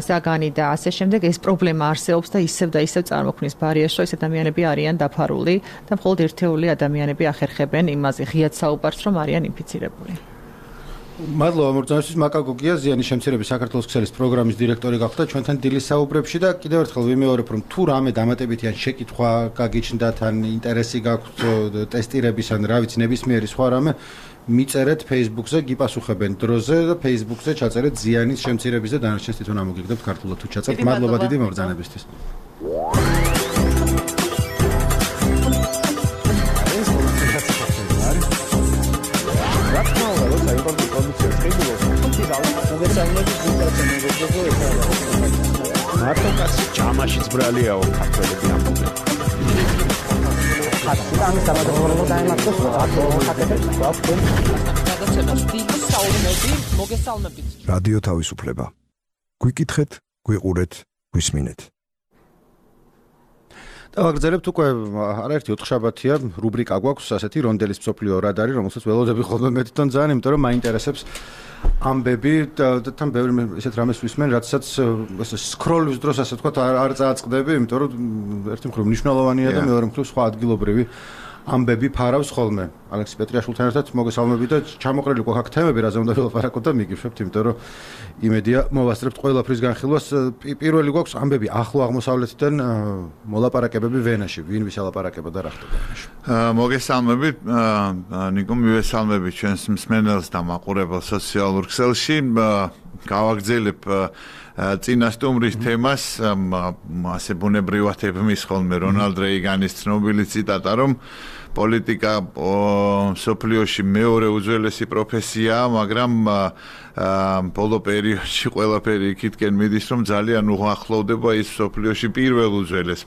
საგანი და ასე შემდეგ, ეს პრობლემა არსებობს და ისევ და ისევ წარმოქმნის ბარიერს, რომ ეს ადამიანები არიან დაფარული და მხოლოდ ერთეული ადამიანები ახერხებენ იმაზე ღიად საუბარს, რომ არიან ინფიცირებული. მადლობა მოგზაურისთვის. მაკა გოგია, ზიანის შემცირების საქართველოს ქსელის პროგრამის დირექტორი გახდა ჩვენთან დილის საუბრებში და კიდევ ერთხელ ვიმეორებ, რომ თუ რამე დამატებითი ან შეკითხვა გაგიჩნდათ, ან ინტერესი გაქვთ ტესტირების ან რა ვიცი ნებისმიერი სხვა რამე, მიწერეთ Facebook-ზე, გიპასუხებენ დროზე და Facebook-ზე ჩაწერეთ ზიანის შემცირების და დანარჩენს თვითონ ამოგიგდებთ ქართულად თუ ჩაწერთ. მადლობა დიდი მოგზაურებისთვის. მარტო კაცი ჯამაშიც ბრალიაო ქართველები ამბობენ. ამის დამადროულობა დაემართოს აკეთებს გვაქვს გადაცემას დიდი საუბნები მოგესალმებით. რადიო თავისუფლება. გვიკითხეთ, გვიყურეთ, გვისმინეთ. დავაგრძელებთ უკვე არაერთი ოთხშაბათია რუბრიკა გვაქვს ასეთი რონდელის მსოფლიო რადარი, რომელსაც ველოდები ხოლმე მე თვითონ ძალიან, იმიტომ რომ მაინტერესებს ამბები და თან ბევრი ესეთ რამეს ვისმენ, რაცაც ესე სკროლის დროს ასე თქვა არ წააწყდები, იმიტომ რომ ერთი მხრივ მნიშვნელოვანია და მეორე მხრივ სხვა ადგილობრივი ამბები ფარავს ხოლმე. ალექსი პეტრიაშვილთან ერთად მოგესალმები და ჩამოყრილი გვაქვს აქ თემები, რაზე უნდა ველაპარაკოთ და მიგიშვებთ, იმიტომ რომ იმედია მოვასწრებთ ყველაფრის განხილვას. პირველი გვაქვს ამბები ახლო აღმოსავლეთიდან, მოლაპარაკებები ვენაში, ვინ ვის ელაპარაკება და რა ხდება ვენაში. მოგესალმებით, ნიკო, მივესალმებით ჩვენს მსმენელს და მაყურებელს სოციალურ ქსელში. გავაგრძელებ წინა სტუმრის თემას, ასე ბუნებრივად ებმის ხოლმე რონალდ რეიგანის ცნობილი ციტატა, რომ პოლიტიკა სოფლიოში მეორე უძველესი პროფესიაა, მაგრამ ბოლო პერიოდში ყველაფერი იქითკენ მიდის, რომ ძალიან უახლოვდება ის სოფლიოში პირველ უძველეს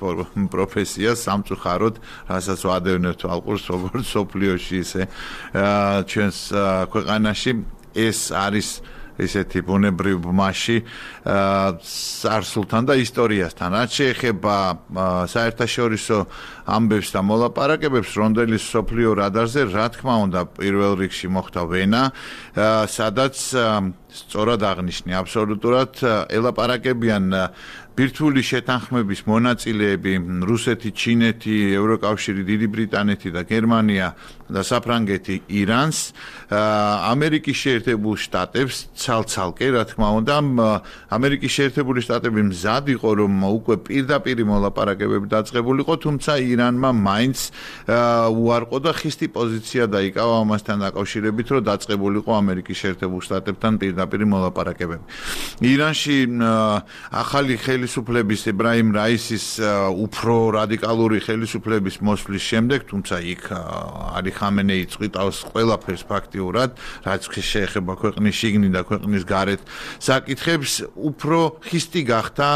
პროფესიას, სამწუხაროდ, რასაც ვადევნებთ ალყურს, როგორც სოფლიოში ისე ჩვენს ქვეყანაში ეს არის ისეთი ბუნებრივ მასში წარსულთან და ისტორიასთან. რაც შეეხება საერთაშორისო ამბებს და მოლაპარაკებებს, რონდელის სოფლიო რადარზე, რა თქმა უნდა, პირველ რიგში მოხდა ვენა, სადაც სწორად აღნიშნე, აბსოლუტურად ელაპარაკებიან ბირთვული შეთანხმების მონაწილეები რუსეთი, ჩინეთი, ევროკავშირი, დიდი ბრიტანეთი და გერმანია და საფრანგეთი ირანს, ამერიკის შეერთებულ შტატებს ცალ-ცალკე, რა თქმა უნდა, ამერიკის შეერთებული შტატები მზად იყო, რომ უკვე პირდაპირ მოლაპარაკებები დაწყებულიყო, თუმცა ირანმა მაინც უარყო და ხისტი პოზიცია დაიკავა ამასთან დაკავშირებით, რომ დაწყებულიყო ამერიკის შეერთებულ შტატებთან პირდაპირ მოლაპარაკებები. ირანში ახალი ხელისუფლების ებრაიმ რაისის უფრო რადიკალური ხელისუფლების მოსვლის შემდეგ, თუმცა იქ ალი ხამენეი წვიტავს ყველაფერს ფაქტიურად, რაც შეეხება ქვეყნის შიგნით და ქვეყნის გარეთ საკითხებს, უფრო ხისტი გახდა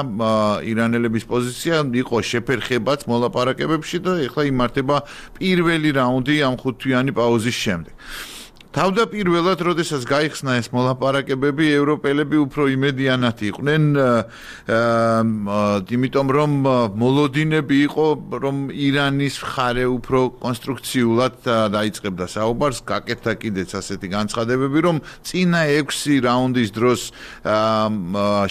ირანელების პოზიცია, იყო შეფერხებაც მოლაპარაკებებში და ეხლა იმართება პირველი რაუნდი ამ ხუთთვიანი პაუზის შემდეგ. თავდაპირველად, როდესაც გაიხსნა ეს მოლაპარაკებები, ევროპელები უფრო იმედიანად იყვნენ, იმიტომ რომ მოლოდინები იყო, რომ ირანის მხარე უფრო კონსტრუქციულად დაიწყებდა საუბარს, გაკეთდა კიდეც ასეთი განცხადებები, რომ წინა ექვსი რაუნდის დროს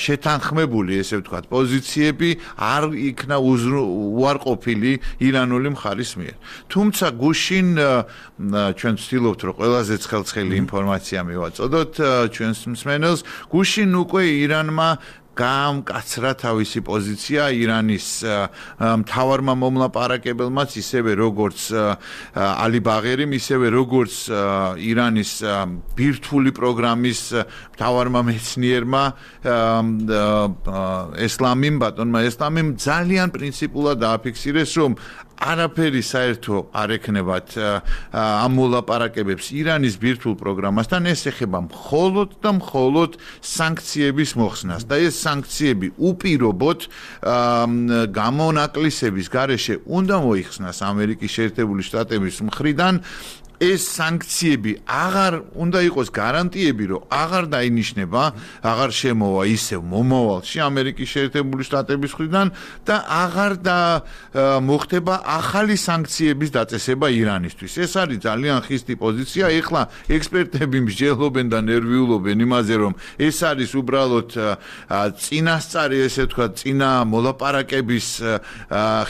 შეთანხმებული, ესე ვთქვათ, პოზიციები არ იქნა უარყოფილი ირანული მხარის მიერ. თუმცა გუშინ ჩვენ ვცდილობთ, რომ ყველაზე ხელცხელი ინფორმაცია მივაწოდოთ ჩვენს მსმენელს, გუშინ უკვე ირანმა გაამკაცრა თავისი პოზიცია ირანის მთავარმა მომლაპარაკებელმაც, ისევე როგორც ალი ბაღერიმ, ისევე როგორც ირანის ბირთვული პროგრამის მთავარმა მეცნიერმა ესლამიმ, ბატონმა ესლამიმ ძალიან პრინციპულად დააფიქსირეს, რომ არაფერი საერთო არ ექნებათ ამ მოლაპარაკებებს ირანის ბირთვულ პროგრამასთან, ეს ეხება მხოლოდ და მხოლოდ სანქციების მოხსნას და ეს სანქციები უპირობოდ გამონაკლისების გარეშე უნდა მოიხსნას ამერიკის შეერთებული შტატების მხრიდან. ეს სანქციები აღარ უნდა იყოს გარანტიები, რომ აღარ დაინიშნება, აღარ შემოვა ისევ მომავალში ამერიკის შეერთებული შტატების მხრიდან და აღარ და მოხდება ახალი სანქციების დაწესება ირანისთვის. ეს არის ძალიან ხისტი პოზიცია. ეხლა ექსპერტები მსჯელობენ და ნერვიულობენ იმაზე, რომ ეს არის უბრალოდ წინასწარი, ესე ვთქვათ, წინა მოლაპარაკების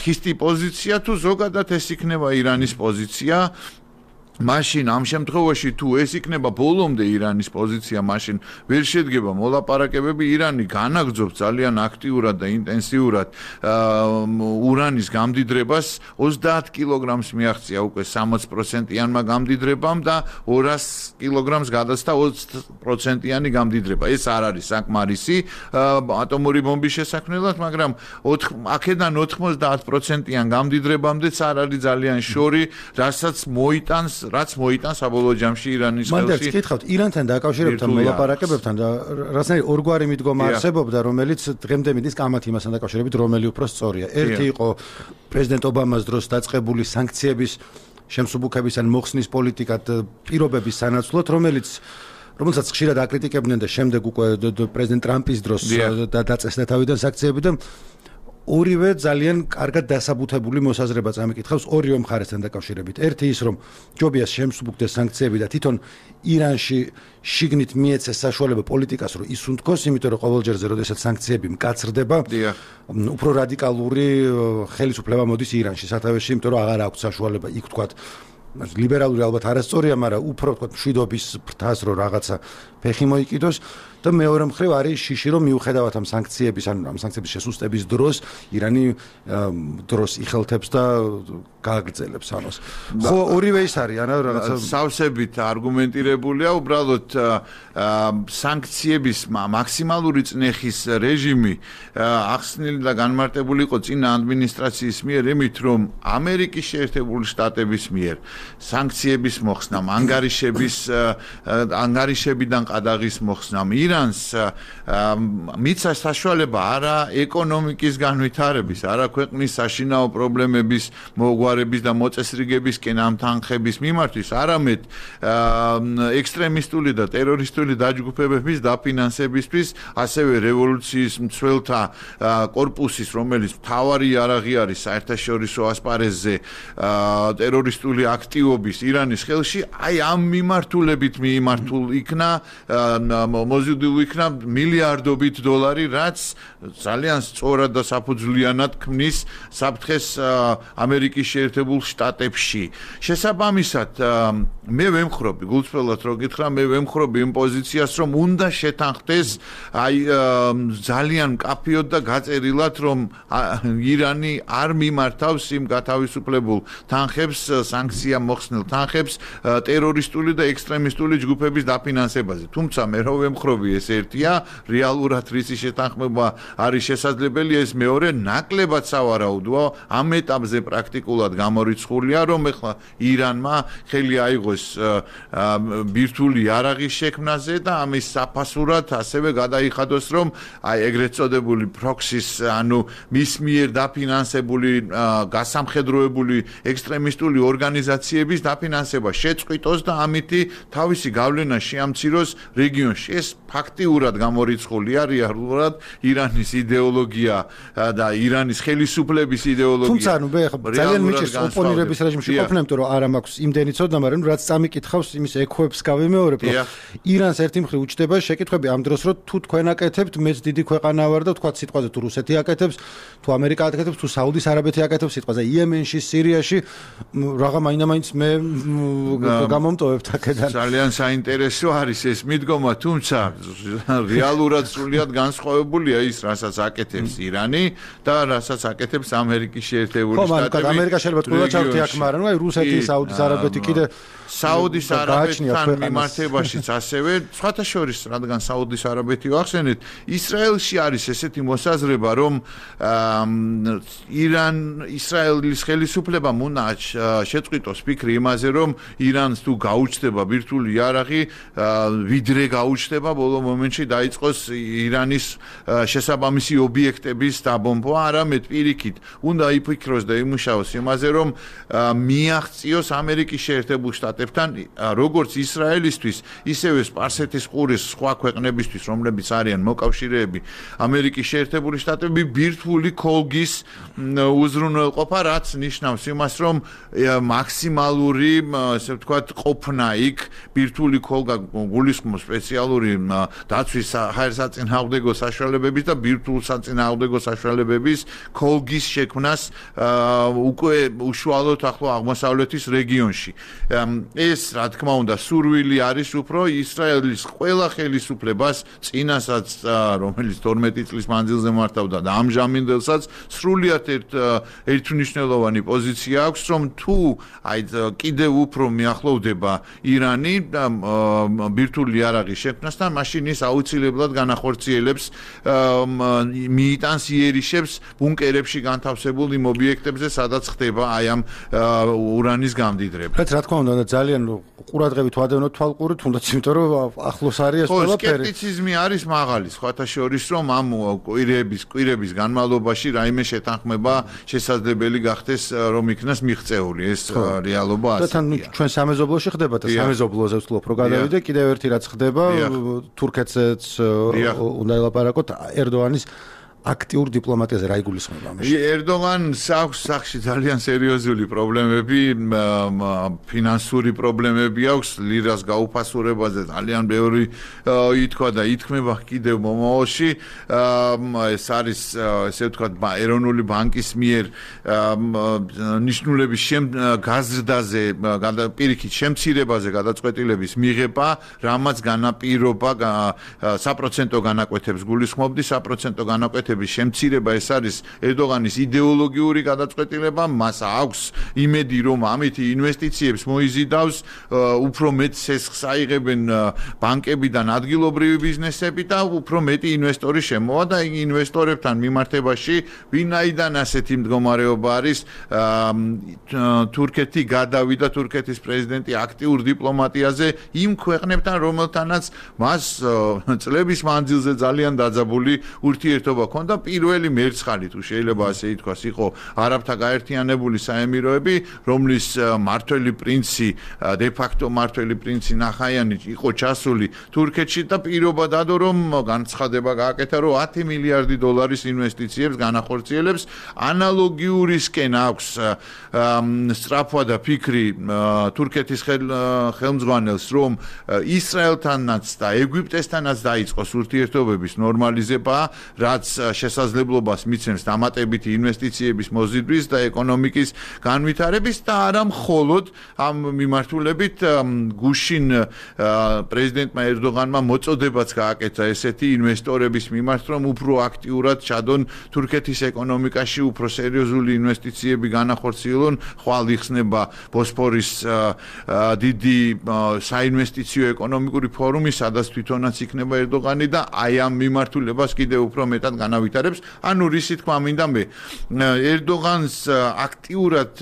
ხისტი პოზიცია, თუ ზოგადად ეს იქნება ირანის პოზიცია. მაშინ ამ შემთხვევაში თუ ეს იქნება ბოლომდე ირანის პოზიცია, მაშინ ვერ შედგება მოლაპარაკებები. ირანი განაგრძობს ძალიან აქტიურად და ინტენსიურად ურანის გამდიდრებას, ოცდაათ კილოგრამს მიაღწია უკვე სამოცი პროცენტიანმა გამდიდრებამ და ორას კილოგრამს გადაცდა ოცდაათ პროცენტიანი გამდიდრება. ეს არ არის საკმარისი ატომური ბომბის შესაქმნელად, მაგრამ აქედან ოთხმოცდაათ პროცენტიან გამდიდრებამდეც არ არის ძალიან შორი, რასაც მოიტანს რაც მოიტანს საბოლოო ჯამში ირანის ხელში. მანდ გითხავთ, ირანთან დაკავშირებთან მოლაპარაკებებთან და რასნაირი ორგვარი მიდგომა არსებობდა, რომელიც დღემდე მიდის კამათ იმასთან დაკავშირებით, რომელი უფრო სწორია. ერთი იყო პრეზიდენტ ობამას დროს დაწყებული სანქციების შემსუბუქების ან მოხსნის პოლიტიკა პირობების სანაცვლოდ, რომელიც რომელსაც ხშირად აკრიტიკებდნენ და შემდეგ უკვე პრეზიდენტ ტრამპის დროს დაწესდა თავიდან სანქციები და ორივე ძალიან კარგად დასაბუთებული მოსაზრება წამიკითხავს ორივე მხარესთან დაკავშირებით. ერთი ის, რომ ჯობია შემსუბუქდეს სანქციები და თვითონ ირანში შიგნით მიეცეს საშუალება პოლიტიკას, რომ ისუნთქოს, იმიტომ რომ ყოველჯერზე, როდესაც სანქციები მკაცრდება, უფრო რადიკალური ხელისუფლება მოდის ირანში სათავეში, იმიტომ რომ აღარ აქვს საშუალება იქ თქვათ ლიბერალური ალბათ არასწორია, მაგრამ უფრო თქვათ მშვიდობის ფრთას, რომ რაღაცა ფეხი მოიკიდოს. და მეორე მხრივ არის შიში რომ მიუხედავად ამ სანქციების ან ამ სანქციების შესუსტების დროს ირანი დროს იხელთებს და გააგრძელებს ამას. ხო ორივე ის არის ანუ რაღაცა სავსებით არგუმენტირებულია უბრალოდ სანქციების მაქსიმალური წნეხის რეჟიმი ახსნილი და განმარტებული იყო წინა ადმინისტრაციის მიერ იმით რომ ამერიკის შეერთებული შტატების მიერ სანქციების მოხსნამ ანგარიშების ანგარიშებიდან ყადაღის მოხსნამ ირანს მიცა საშუალება არა ეკონომიკის განვითარების არა ქვეყნის საშინაო პრობლემების მოგვარების და მოწესრიგებისკენ ამ თანხების მიმართვის არამედ ექსტრემისტული და ტერორისტული დაჯგუფებების დაფინანსებისთვის ასევე რევოლუციის მცველთა კორპუსის რომელიც მთავარი იარაღი არის საერთაშორისო ასპარეზზე ტერორისტული აქტივობის ირანის ხელში აი ამ მიმართულებით მიიმართულ იქნა მოზიდულ იქნა მილიარდობით დოლარი რაც ძალიან სწორად და საფუძვლიანად ქმნის საფრთხეს ამერიკის შეერთებულ შტატებში შესაბამისად მე ვემხრობი გულწრფელად რო გითხრა მე ვემხრობი იმ პოზიციას რომ უნდა შეთანხმდეს აი ძალიან კაფიოდ და გაწერილად რომ ირანი არ მიმართავს იმ გათავისუფლებულ თანხებს სანქცია მოხსნილ თანხებს ტერორისტული და ექსტრემისტული ჯგუფების დაფინანსებაზე თუმცა მე რო ვემხრობი ეს ერთია რეალურად რისი შეთანხმება არის შესაძლებელი ეს მეორე ნაკლებად სავარაუდოა ამ ეტაპზე პრაქტიკულად გამორიცხულია რომ ეხლა ირანმა ხელი აიღოს ბირთვული იარაღის შექმნაზე და ამის საფასურად ასევე გადაიხადოს რომ აი ეგრეთ წოდებული პროქსის ანუ მის მიერ დაფინანსებული გასამხედროებული ექსტრემისტული ორგანიზაციების დაფინანსება შეწყვიტოს და ამითი თავისი გავლენა შეამციროს რეგიონში ეს ფაქტიურად გამორიცხულია რეალურად ირანის იდეოლოგია და ირანის ხელისუფლების იდეოლოგია თუმცა ანუ მე ძალიან მიჩეს ოპონირების რეჟიმში ყოფნა იმიტომ რომ არა მაქვს იმდენი ცოდნა მაგრამ რაც წამიკითხავს იმის ექოებს გავიმეორებ რომ ირანს ერთი მხრივ უჩდება შეკითხვები ამ დროს რომ თუ თქვენ აკეთებთ მეც დიდი ქვეყანა ვარ და თქვა სიტყვაზე თუ რუსეთი აკეთებს თუ ამერიკა აკეთებს თუ საუდის არაბეთი აკეთებს სიტყვაზე იემენში სირიაში რაღა მაინდა-მაინც მე გამომტოვებთ აქედან ძალიან საინტერესო არის ეს მიდგომა თუმცა რეალურად სრულიად განსხვავებულია ის რასაც აკეთებს ირანი და რასაც აკეთებს ამერიკის შეერთებული შტატები ხო ამერიკა შეიძლება თქვა ჩავთი აქ მაგრამ აი რუსეთი საუდის არაბეთი კიდე საუდის არაბეთთან მიმართებაშიც ასევე სხვათა შორის რადგან საუდის არაბეთი ვახსენეთ ისრაელში არის ესეთი მოსაზრება რომ ირან ისრაელის ხელისუფლებამ უნდა შეწყვიტოს ფიქრი იმაზე რომ ირანს თუ გაუჩნდება ბირთვული იარაღი ვიდრე გაუჩნდება ბოლო მომენტში დაიწყოს ირანის შესაბამისი ობიექტების დაბომბვა არამედ პირიქით უნდა იფიქროს და იმუშაოს იმაზე რომ მიაღწიოს ამერიკის შეერთებულ შტატებთან როგორც ისრაელისთვის ისევე სპარსეთის ყურის სხვა ქვეყნებისთვის რომლებიც არიან მოკავშირეები ამერიკის შეერთებული შტატები ბირთვული კოლგის უზრუნველყოფა რაც ნიშნავს იმას რომ მაქსიმალური ასე ვთქვათ ყოფნა იქ ბირთვული კოლგა გულისხმობს სპეციალური დაცვის საერთაშორისო საშუალებების და ბირთვულ საწინააღმდეგო საშუალებების კოლგის შექმნას უკვე უშუალოდ ახლო აღმოსავლეთის რეგიონში ეს რა თქმა უნდა სურვილი არის უფრო ისრაელის ყველა ხელისუფლებას წინასაც რომელიც თორმეტი წლის მანძილზე მართავდა და ამჟამინდელსაც სრულიად ერთ ერთმნიშვნელოვანი პოზიცია აქვს რომ თუ აი კიდევ უფრო მიახლოვდება ირანი და ბირთვული იარაღის შექმნასთან მაშინ ის აუცილებლად განახორციელებს მიიტანს იერიშებს ბუნკერებში განთავსებულ იმ ობიექტებზე სადაც ხდება აი ამ ურანის გამდიდრება რაც რა თქმა უნდა ძალიან ყურადღებით ვადევნოთ თვალყურით თუნდაც იმიტომ რომ ახლოს არის ეს ყველაფერი სკეპტიციზმი არის მაღალი სხვათა შორის რომ ამ კვირების კვირების განმავლობაში რაიმე შეთანხმება შესაძლებელი გახდეს რომ იქნას მიღწეული ეს რეალობა ასე და თან ჩვენ სამეზობლოში ხდება და სამეზობლოზე ვთქვი უფრო გადავიდე კიდევ ერთი რაც ხდება თურქეთზეც უნდა ელაპარაკოთ ერდოანის აქტიურ დიპლომატიაზე რა იგულისხმება ამაში? ერდოღანს აქვს სახში ძალიან სერიოზული პრობლემები, ფინანსური პრობლემები აქვს, ლირას გაუფასურებაზე ძალიან ბევრი ითქვა და ითქმება კიდევ მომავალში. ეს არის ესე ვთქვათ ეროვნული ბანკის მიერ ნიშნულების გაზრდაზე, პირიქით შემცირებაზე გადაწყვეტილების მიღება, რამაც განაპირობა საპროცენტო განაკვეთებს გულისხმობდი, საპროცენტო განაკვეთების შემცირება ეს არის ერდოღანის იდეოლოგიური გადაწყვეტილება, მას აქვს იმედი, რომ ამით ინვესტიციებს მოიზიდავს, უფრო მეტ სესხს აიღებენ ბანკებიდან ადგილობრივი ბიზნესები და უფრო მეტი ინვესტორი შემოვა და ინვესტორებთან მიმართებაში ვინაიდან ასეთი მდგომარეობა არის, თურქეთი გადავიდა, თურქეთის პრეზიდენტი აქტიურ დიპლომატიაზე იმ ქვეყნებთან, რომელთანაც მას წლების მანძილზე ძალიან დაძაბული ურთიერთობა ჰქონდა. პირველი მერცხალი თუ შეიძლება ასე ითქვას იყო არაბთა გაერთიანებული საემიროები, რომლის მმართველი პრინცი, დე ფაქტო მმართველი პრინცი ნახაიანი იყო ჩასული თურქეთში და პირობა დადო, რომ განცხადება გააკეთა, რომ ათი მილიარდი დოლარის ინვესტიციებს განახორციელებს. ანალოგიურისკენ აქვს სწრაფვა და ფიქრი თურქეთის ხელმძღვანელს, რომ ისრაელთანაც და ეგვიპტესთანაც დაიწყოს ურთიერთობების ნორმალიზება, რაც შესაძლებლობას მიცემს დამატებითი ინვესტიციების მოზიდვის და ეკონომიკის განვითარების და არა მხოლოდ ამ მიმართულებით გუშინ პრეზიდენტმა ერდოღანმა მოწოდებაც გააკეთა ესეთი ინვესტორების მიმართ, რომ უფრო აქტიურად ჩადონ თურქეთის ეკონომიკაში, უფრო სერიოზული ინვესტიციები განახორციელონ, ხვალ იხსნება ბოსფორის დიდი საინვესტიციო ეკონომიკური ფორუმი, სადაც თვითონაც იქნება ერდოღანი და აი ამ მიმართულებას კიდევ უფრო მეტად განავითარებს. ანუ რისი თქმა მინდა მე, ერდოღანს აქტიურად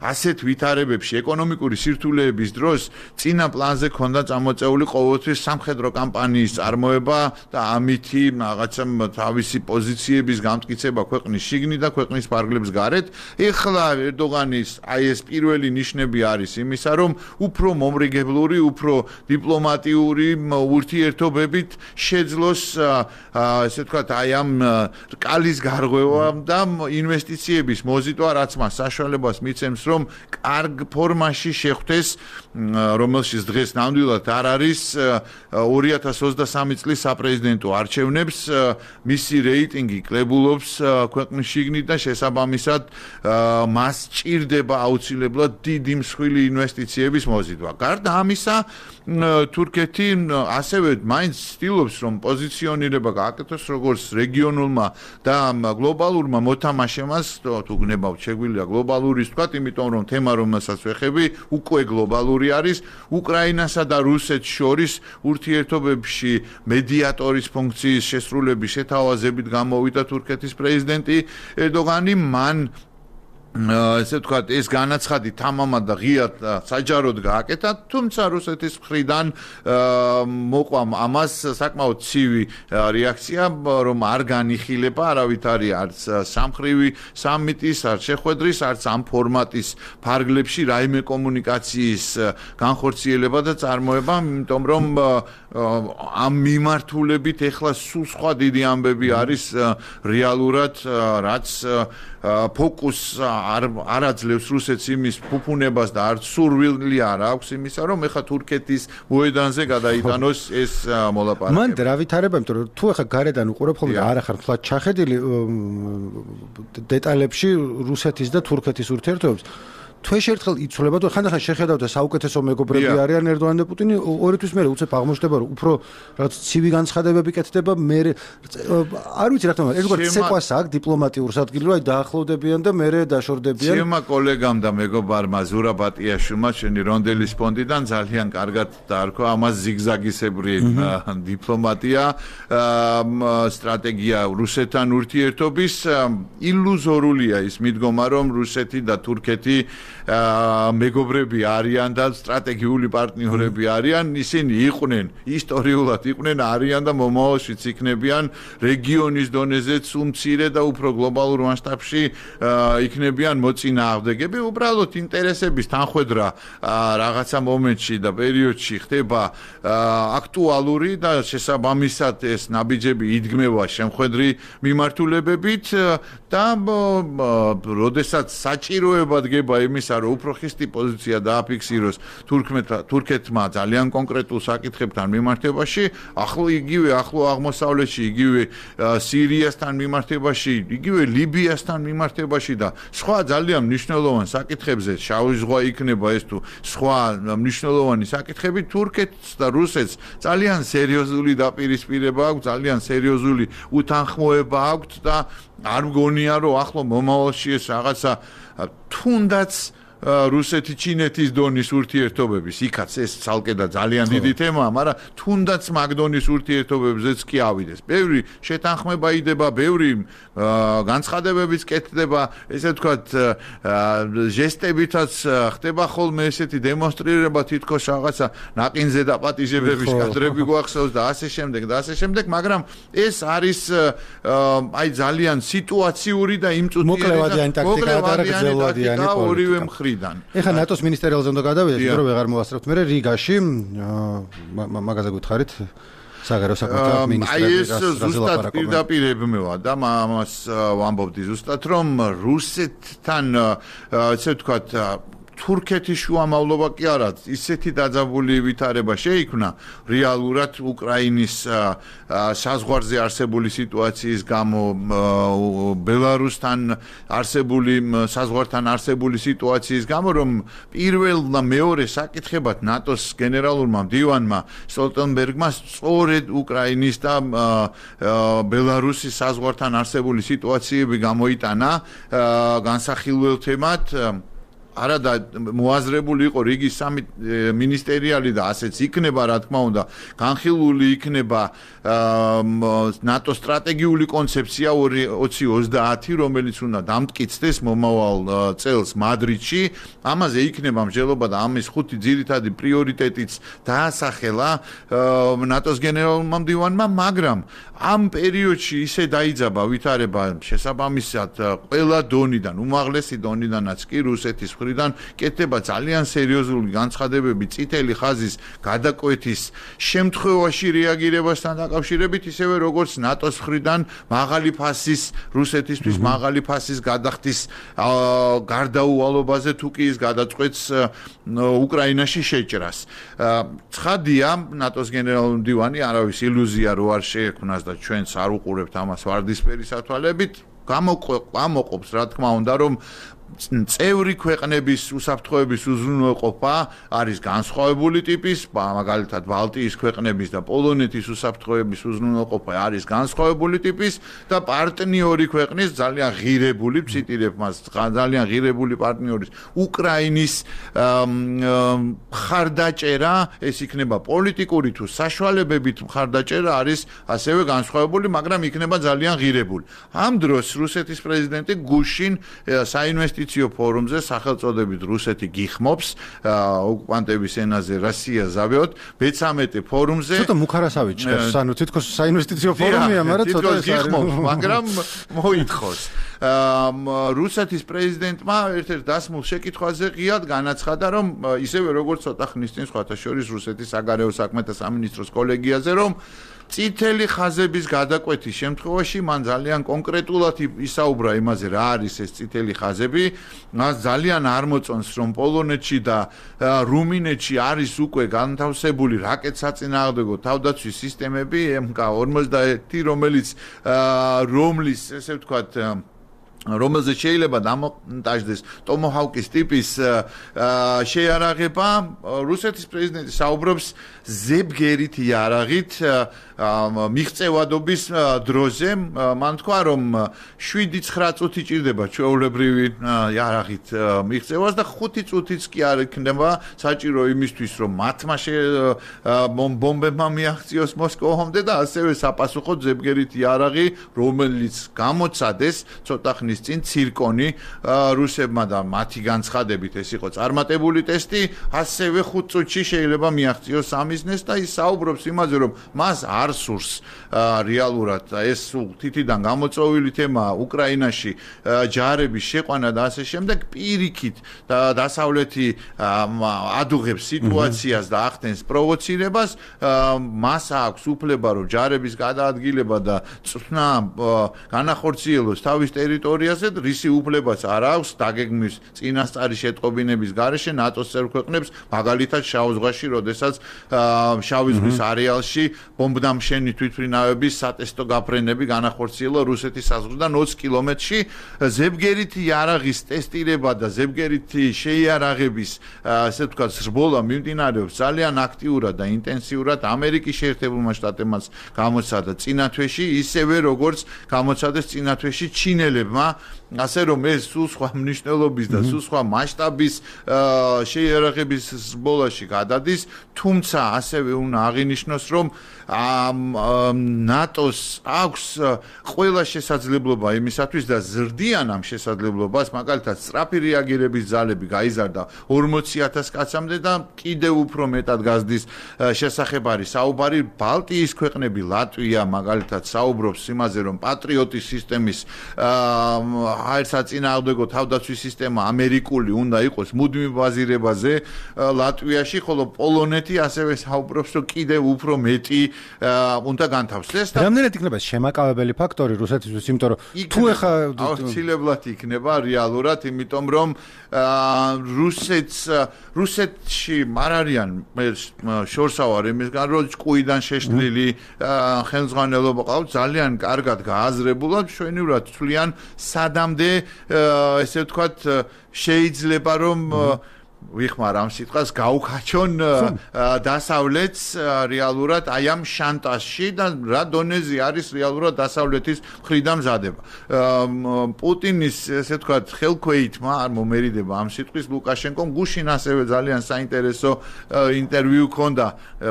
ასეთ ვითარებებში ეკონომიკური სირთულეების დროს წინა პლანზე ქონდა წამოწეული ყოველთვის სამხედრო კამპანიის წარმოება და ამითი რაღაცა თავისი პოზიციების გამტკიცება ქვეყნის შიგნით და ქვეყნის ფარგლებს გარეთ. ეხლა ერდოღანის აი ეს პირველი ნიშნები არის იმისა, რომ უფრო მომრიგებლური, უფრო დიპლომატიური ურთიერთობებით შეძლოს ესე ვთქვათ აი ამ რკალის გარღვევა და ინვესტიციების მოზიდვა, რაც მას საშუალებას მიცემს, რომ კარგ ფორმაში შეხვდეს, რომელშიც დღეს ნამდვილად არ არის ორი ათას ოცდასამი წლის საპრეზიდენტო არჩევნებს, მისი რეიტინგი კლებულობს ქვეყნის შიგნით და შესაბამისად მას ჭირდება აუცილებლად დიდი მსხვილი ინვესტიციების მოზიდვა. გარდა ამისა, თურქეთი ასევე მაინც ცდილობს, რომ პოზიციონირება გააკეთოს როგორც რეგიონულმა და გლობალურმა მოთამაშემას, თუ გნებავთ შეგვიძლია გლობალურის ვთქვათ, იმიტომ რომ თემა, რომელსაც ვეხები, უკვე გლობალური არის. უკრაინასა და რუსეთს შორის ურთიერთობებში მედიატორის ფუნქციის შესრულების შეთავაზებით გამოვიდა თურქეთის პრეზიდენტი ერდოღანი. მან ესე ვთქვათ, ეს განაცხადი თამამად და ღიად საჯაროდ გააკეთა, თუმცა რუსეთის მხრიდან მოყვა ამას საკმაოდ ცივი რეაქცია, რომ არ განიხილება არავითარი არც სამხრივი სამიტის, არც შეხვედრის, არც ამ ფორმატის ფარგლებში რაიმე კომუნიკაციის განხორციელება და წარმოება, იმიტომ რომ ამ მიმართულებით ეხლა სულ სხვა დიდი ამბები არის რეალურად, რაც ფოკუსს არ არ აძლევს რუსეთს იმის ფუფუნებას და არც სურვილი არ აქვს იმისა, რომ ეხა თურქეთის მოედანზე გადაიტანოს ეს მოლაპარაკება. მან რა ვითარება, იმიტომ რომ თუ ეხა გარედან უყურებ ხოლმე და არ ახარ თქვა ჩახედილი დეტალებში რუსეთის და თურქეთის ურთიერთობებს, თუ ერთხელ იცვლება და ხანდახან შეხედავთ საუკეთესო მეგობრები არიან ერდოღანი და პუტინი, ორითვის მერე უცებ აღმოჩნდება, რომ უფრო რაც ცივი განცხადებები კეთდება, მე არ ვიცი რა თქმა უნდა, ეგრეთ ცეკვას აქვს დიპლომატიურ ადგილზე, აი დაახლოვდებიან და მერე დაშორდებიან. ჩემმა კოლეგამ და მეგობარმა ზურაბ ატიაშვილმა შენი რონდელის ფონდიდან ძალიან კარგად დაარქვა ამას ზიგზაგისებრი დიპლომატია, სტრატეგია რუსეთთან ურთიერთობის. ილუზორულია ის მიდგომა, რომ რუსეთი და თურქეთი მეგობრები არიან და სტრატეგიული პარტნიორები არიან, ისინი იყვნენ, ისტორიულად იყვნენ, არიან და მომავალშიც იქნებიან რეგიონის დონეზეც უმცირე და უფრო გლობალურ მასშტაბში იქნებიან მოწინააღმდეგები. უბრალოდ ინტერესების თანხვედრა რაღაცა მომენტში და პერიოდში ხდება აქტუალური და შესაბამისად ეს ნაბიჯები იდგმება შემხედრი მიმართულებებით და როდესაც საჭიროება დგება იმისა, რომ უფრო ხისტი პოზიცია დააფიქსიროს თურქეთმა ძალიან კონკრეტულ საკითხებთან მიმართებაში, ახლო იგივე ახლო აღმოსავლეთში, იგივე სირიასთან მიმართებაში, იგივე ლიბიასთან მიმართებაში და სხვა ძალიან მნიშვნელოვან საკითხებზე, შავი ზღვა იქნება ეს თუ სხვა მნიშვნელოვანი საკითხები, თურქეთს და რუსეთს ძალიან სერიოზული დაპირისპირება აქვს, ძალიან სერიოზული უთანხმოება აქვს და არ მგონია რომ ახლო მომავალში ეს რაღაცა თუნდაც რუსეთი ჩინეთის დონის ურთიერთობების იქაც ეს ცალკე და ძალიან დიდი თემაა, მაგრამ თუნდაც მაგდონის ურთიერთობებზეც კი ავიდეს. ბევრი შეთანხმება იდება, ბევრი განცხადებებიც კეთდება, ესე ვთქვათ, ჟესტებითაც ხდება ხოლმე ესეთი დემონსტრირება თითქოს რაღაცა ნაყინზე დაპატიჟებების კადრები გვახსოვს და ასე შემდეგ და ასე შემდეგ, მაგრამ ეს არის აი ძალიან სიტუაციური და იმწუთიერე და მოკლევადიანი და ორივე მხრიდან. ეხლა ნატოს მინისტერიალზე უნდა გადავიდეთ, იმიტომ რომ ვეღარ მოვასწრებთ. მე რიგაში მაგაზე გითხარით საგარეო საქმეთა მინისტრების ზუსტად პირდაპირებმევა და ამას ვამბობდი ზუსტად რომ რუსეთთან ესე ვთქვათ თურქეთის შუამავლობა კი არა, ისეთი დაძაბული ვითარება შეიქმნა რეალურად უკრაინის საზღვარზე არსებული სიტუაციის გამო, ბელარუსთან არსებული საზღვართან არსებული სიტუაციის გამო, რომ პირველ და მეორე საკითხებად ნატოს გენერალურმა მდივანმა სტოლტენბერგმა სწორედ უკრაინის და ბელარუსის საზღვართან არსებული სიტუაციები გამოიტანა განსახილველ თემად. არადა მოაზრებული იყო რიგი სამი მინისტერიალი და ასეც იქნება, რა თქმა უნდა, განხილული იქნება ნატოს სტრატეგიული კონცეფცია ოცი ოცდაათი, რომელიც უნდა დამტკიცდეს მომავალ წელს მადრიდში. ამაზე იქნება მსჯელობა და ამის ხუთი ძირითადი პრიორიტეტიც დაასახელა ნატოს გენერალურმა მდივანმა, მაგრამ ამ პერიოდში ისე დაიძაბა ვითარება შესაბამისად ყველა დონიდან, უმაღლესი დონიდანაც კი რუსეთის მხრიდან კეთდება ძალიან სერიოზული განცხადებები წითელი ხაზის გადაკვეთის შემთხვევაში რეაგირებასთან დაკავშირებით, ისევე როგორც ნატოს მხრიდან მაღალი ფასის რუსეთისთვის მაღალი ფასის გადახდის გარდაუვალობაზე თუ კი ის გადაწყვეტს უკრაინაში შეჭრას. ცხადია, ნატოს გენერალური მდივანი არავის ილუზია რო არ შეექმნას და ჩვენც არ უყურებთ ამას ვარდისფერი სათვალებით, გამოყოფს რა თქმა უნდა, რომ წევრი ქვეყნების უსაფრთხოების უზრუნველყოფა არის განსხვავებული ტიპის, მაგალითად ბალტიის ქვეყნების და პოლონეთის უსაფრთხოების უზრუნველყოფა არის განსხვავებული ტიპის და პარტნიორი ქვეყნის ძალიან ღირებული, ვციტირებ მას, ძალიან ღირებული პარტნიორის უკრაინის მხარდაჭერა, ეს იქნება პოლიტიკური თუ საშუალებებით მხარდაჭერა არის ასევე განსხვავებული, მაგრამ იქნება ძალიან ღირებული. ამ დროს რუსეთის პრეზიდენტი გუშინ საინვესტიციო ფორუმზე სახელწოდებით რუსეთი გიხმობს ოკუპანტების ენაზე Россия зовёт მეთერთმეტე ფორუმზე ცოტა მუქარასავი ჭერს, ანუ თითქოს საინვესტიციო ფორუმია, მაგრამ ცოტა ეს გიხმობს, მაგრამ მოითხოვს. რუსეთის პრეზიდენტმა ერთ-ერთ დასმულ შეკითხვაზე ღიად განაცხადა, რომ ისევე როგორც ცოტა ხნის წინ სხვათა შორის რუსეთის საგარეო საქმეთა სამინისტროს კოლეგიაზე, რომ წითელი ხაზების გადაკვეთის შემთხვევაში მან ძალიან კონკრეტულად ისაუბრა იმაზე, რა არის ეს წითელი ხაზები. მას ძალიან არ მოწონს, რომ პოლონეთში და რუმინეთში არის უკვე განთავსებული რაკეტსაწინააღმდეგო თავდაცვის სისტემები ემ კა ორმოცდაერთი, რომელიც რომლის, ესე ვთქვათ, რომელზეც შეიძლება დამონტაჟდეს ტომოჰავკის ტიპის შეიარაღება. რუსეთის პრეზიდენტი საუბრობს ზებგერით იარაღით მიღწევადობის დროზე. მან თქვა, რომ შვიდი ცხრა წუთი ჭირდება ჩვეულებრივი იარაღით მიღწევას და ხუთი წუთიც კი არ იქნება საჭირო იმისთვის, რომ მათმა ბომბებმა მიაღწიოს მოსკოვამდე და ასევე საპასუხოდ ზებგერით იარაღი, რომელიც გამოცადეს ცოტა ხნის წლის წინ ცირკონი რუსებმა და მათი განცხადებით ეს იყო წარმატებული ტესტი, ასევე ხუთ წუთში შეიძლება მიაღწიოს სამიზნეს და ის საუბრობს იმაზე, რომ მას არ სურს რეალურად ეს თითიდან გამოწვეული თემაა უკრაინაში ჯარების შეყვანა და ასე შემდეგ, პირიქით და დასავლეთი ადუღებს სიტუაციას და ახდენს პროვოცირებას, მას აქვს უფლება რომ ჯარების გადაადგილება და წვნა განახორციელოს თავის ტერიტორიაზე, რისი უფლებაც არ აქვს დაგეგმვის წინასწარი შეტყობინების გარეშე ნატოს წევრ ქვეყნებს, მაგალითად შავ ზღვაში, როდესაც შავი ზღვის არეალში ბომბდამშენი თვითმფრინავების სატესტო გაფრენები განახორციელა რუსეთის საზღვრიდან ოცი კილომეტრში, ზებგერითი იარაღის ტესტირება და ზებგერითი შეიარაღების ასე ვთქვათ ზრბოლა მიმდინარეობს ძალიან აქტიურად და ინტენსიურად ამერიკის შეერთებულმა შტატებმაც გამოცადა წინა თვეში, ისევე როგორც გამოცადეს წინა თვეში ჩინელებმა, ასე რომ ეს სულ სხვა მნიშვნელობის და სულ სხვა მასშტაბის შეიარაღების ზრბოლაში გადადის, თუმცა ასევე უნდა აღინიშნოს, რომ ნატოს აქვს ყველა შესაძლებლობა იმისათვის და ზრდიან ამ შესაძლებლობას, მაგალითად სწრაფი რეაგირების ძალები გაიზარდა ორმოცი ათას კაცამდე და კიდევ უფრო მეტად გაზრდის შესახებ არის საუბარი. ბალტიის ქვეყნები, ლატვია მაგალითად საუბრობს იმაზე, რომ პატრიოტის სისტემის საერთაშორისო თავდაცვის სისტემა ამერიკული უნდა იყოს მუდმივ ბაზირებაზე ლატვიაში, ხოლო პოლონეთი ასევე საუბრობს, რომ კიდევ უფრო მეტი უნდა განთავსდეს და რამდენად იქნება შემაკავებელი ფაქტორი რუსეთისთვის, იმიტომ რომ თუ ეხა აუცილებლად იქნება რეალურად, იმიტომ რომ რუსეთს რუსეთში არ არიან შორსავარ იმისგან, რომ ჭკუიდან შეშლილი ხელმძღვანელობა ყავს, ძალიან კარგად გააზრებულად, მშვენივრად თვლიან სადამდე ესე ვთქვათ შეიძლება რომ ვიხმარ ამ სიტყვას გაუქაჩონ დასავლეთს რეალურად აი ამ შანტაჟში და რა დონეზე არის რეალურად დასავლეთის მხრიდან მზადება. პუტინის ესე ვთქვათ ხელქვეითმა არ მომერიდება ამ სიტყვის ლუკაშენკომ გუშინ ასევე ძალიან საინტერესო ინტერვიუ ჰქონდა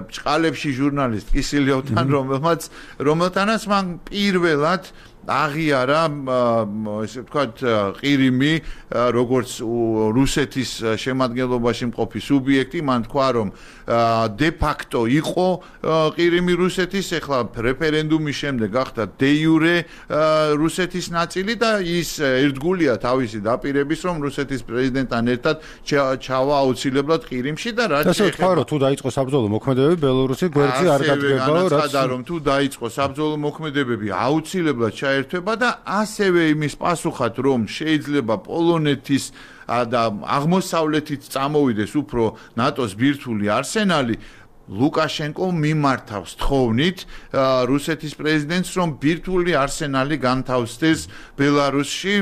ბჭყალებში ჟურნალისტ კისილიოვთან, რომელმაც რომელთანაც მან პირველად აღიარა ესე ვთქვათ ყირიმი როგორც რუსეთის შემადგენლობაში მყოფი სუბიექტი, მან თქვა რომ დე ფაქტო იყო ყირიმი რუსეთის, ახლა რეფერენდუმის შემდეგ გახდა დე იურე რუსეთის ნაწილი და ის ერთგულია თავისი დაპირების, რომ რუსეთის პრეზიდენტთან ერთად ჩავა აუცილებლად ყირიმში და რაც შეეხება თუ დაიწყო საბრძოლო მოქმედებები, ბელორუსი გვერდზე არ გადგებაო, რაც რომ თუ დაიწყო საბრძოლო მოქმედებები აუცილებლად ერთვება და ასევე იმის პასუხად, რომ შეიძლება პოლონეთის და აღმოსავლეთით წამოვიდეს უფრო ნატოს ბირთვული არსენალი, ლუკაშენკო მიმართავს თხოვნით რუსეთის პრეზიდენტს, რომ ბირთვული არსენალი განთავსდეს ბელარუსში.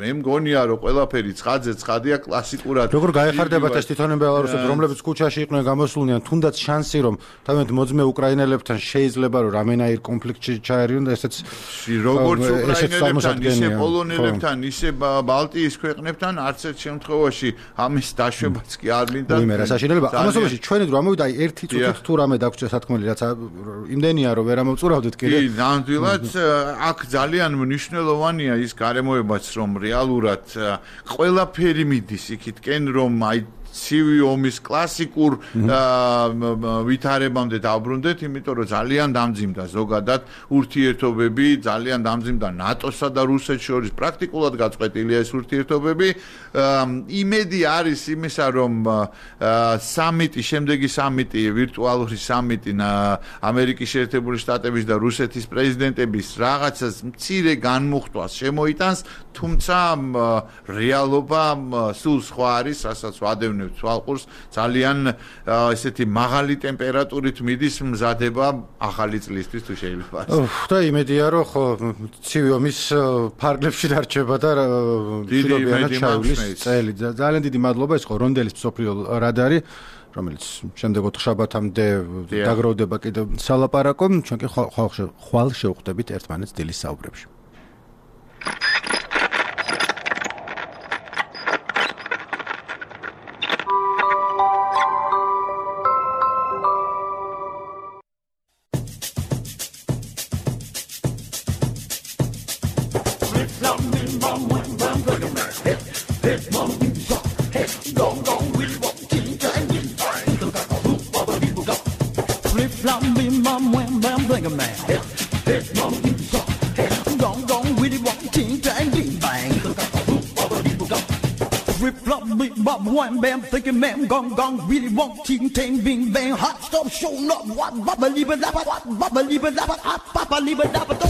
მე მგონია, რომ ყველაფერი ცხადზე ცხადია კლასიკურად. როგორ გაეხარდებათ ეს თვითონ ბელარუსებს, რომლებიც ქუჩაში იყვნენ გამოსულნი, თუნდაც შანსი, რომ თავად მოძმე უკრაინელებთან შეიძლება რომ რამენაირ კონფლიქტში ჩაერიონ და ესეც როგორც უკრაინელებთან, ისე პოლონელებთან, ისე ბალტიის ქვეყნებთან არც ერთ შემთხვევაში ამის დაშვებაც კი არ მინდა. იმერა საშინელება. ამასობაში ჩვენი დრო ამოვიდა აი ერთი წუთით თუ რამე დაგვრჩა სათქმელი, რაც იმდენია რომ ვერ ამოვწურავდეთ კიდე. კი, ნამდვილად აქ ძალიან მნიშვნელოვანია ის გარემოებაც, რომ რეალურად ყველაფერი მიდის იქითკენ, რომ აი ცივი ომის კლასიკურ ვითარებამდე დავბრუნდეთ, იმიტომ რომ ძალიან დამძიმდა ზოგადად ურთიერთობები, ძალიან დამძიმდა ნატოსა და რუსეთს შორის, პრაქტიკულად გაწყვეტილია ეს ურთიერთობები. იმედი არის იმისა, რომ სამიტი, შემდეგი სამიტი, ვირტუალური სამიტი ამერიკის შეერთებული შტატების და რუსეთის პრეზიდენტების რაღაცას მცირე განმუხტვას შემოიტანს, თუმცა რეალობა სულ სხვა არის, რასაც ვადევნებთ თვალყურს, ძალიან ესეთი მაღალი ტემპერატურით მიდის მზადება ახალი წლისთვის თუ შეიძლება. და იმედია, რომ ხო ცივი ომის ფარგლებში დარჩება და მშვიდობიანად ჩაივლის წელი. ძალიან დიდი მადლობა, ეს ხო რონდელის მსოფლიო რადარი, რომელიც შემდეგ ოთხშაბათამდე დაგროვდება კიდევ სალაპარაკო, ჩვენ კი ხვალ შევხვდებით ერთმანეთს დილის საუბრებში. flop me mom when I'm bringing back. Hey, hey, mama be shot. Hey, gong gong with what king and king. Flip flop me mom when I'm bringing back. Hey, hey, mama be shot. Hey, gong gong with what king and king bang. Flip flop me mom when I'm thinking man gong gong really want king tang bing bang hot stop show up what baba liba laba what baba liba laba up papa liba laba do.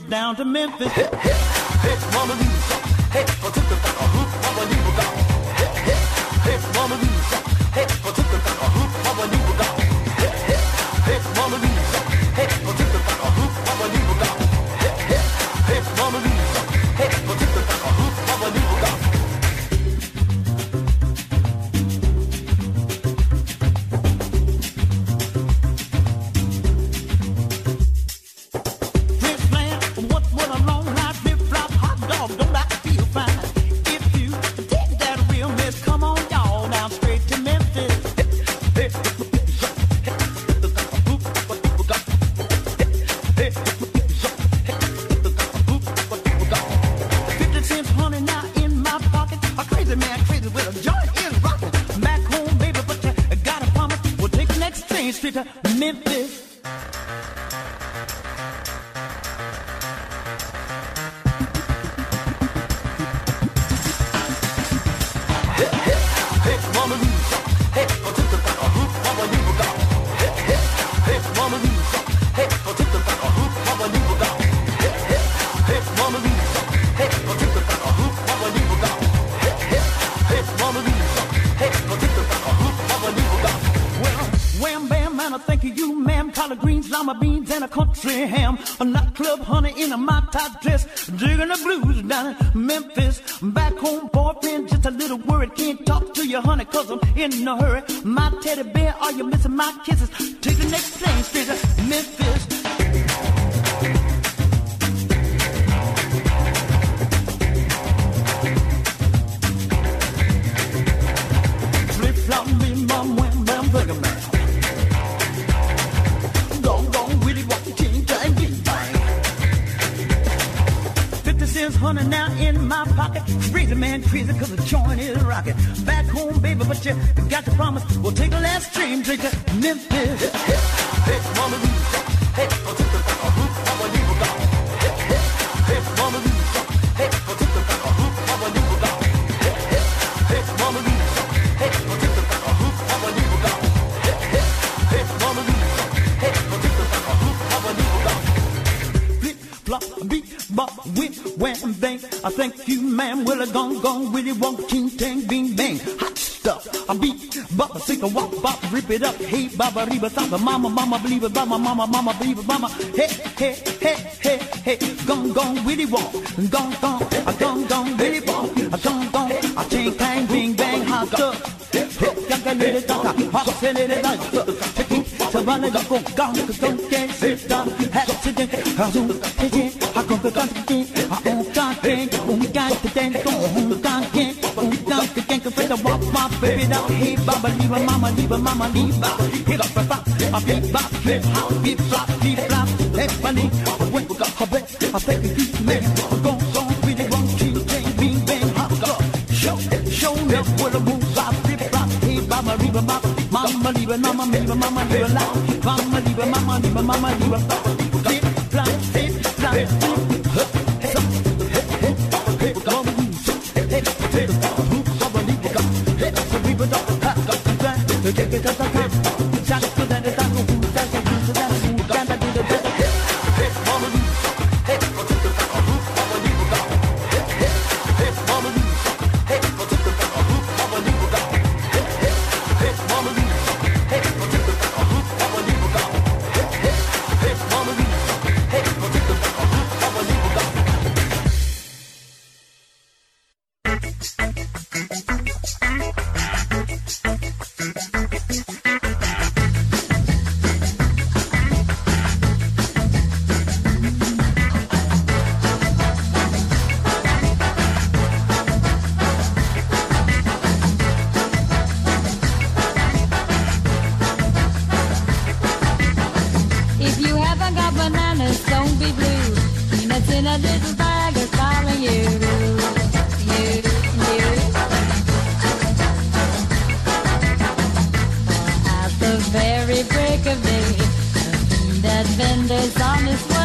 Down to Memphis. Hey, hey, hey, mama Lisa. Hey, for took the back a hoop, mama Lisa got. Hey, hey, hey, mama Lisa. Hey, for took the back a hoop, mama Lisa got. Hey, hey, hey, mama Lisa. Hey, for took the back a hoop, mama Lisa got. Hey, hey, hey, mama Lisa. Hey, for took the back a hoop, mama Lisa got. Country ham, a nightclub honey in a my top dress, digging the blues down in Memphis. Back home, boyfriend, just a little worried. Can't talk to you, honey, cause I'm in a hurry. My teddy bear, are you missing my kisses? Take the next plane straight to Memphis. Flip flop me, mom, when I'm thinking man. Honey now in my pocket, crazy man crazy cause the joint is rocking. Back home baby but you got to promise we'll take the last train straight to Memphis. Hey, hey, hey, mama Lisa. Hey, I'll take the back a hoop, mama Lisa got. Hey, hey, hey, mama Lisa. Hey, I'll take the back a hoop, mama Lisa got. Hey, hey, hey, mama Lisa. Hey, I'll take the back a hoop, mama Lisa got. Hey, hey, hey, mama Lisa. Hey, I'll take the back a hoop, mama Lisa got. Flip, flop, beat, bop, whip, wham, bang. I thank you, ma'am. Well, I gone, gone, really walk, ting, tang, bing, bang. Hot stuff. I beat, bop, I sing a wop, bop, rip it up. Hey, baba, reba, samba, mama, mama, believe it, mama, mama, mama, believe it, mama. Hey, hey, hey, hey, hey. Gone, gone, really walk. Gone, gone, I gone, gone, really walk. I gone, gone, I ting, tang, bing, bang, hot stuff. Hey, yaga, little, daka, hot, say, little, nice. Take it, savannah, go, gone, go, don't get sit down. Accident, I zoom, take it, I go, go, go, I don't got it, don't got the dance, don't got it, don't got the gang, go, the walk, my baby, now, hey, baba, leave a mama, leave a mama, leave a, hit up a bop, a beat bop, flip, hop, beat flop, beat flop, hey, bunny, when we got her back, I think it's man, go, go, really wrong, keep bang, bing, bang, hop, go, show, show me where the moves are, flip, flop, hey, baba, leave a mama, mama, leave a mama, leave a mama, leave a loud, mama, leave a mama, leave a mama, leave a flip, flop, flip, flop, flip, got bananas, don't be blue. Peanuts in a little bag are calling you. You, you. For at the very break of day, that vendor's on his way.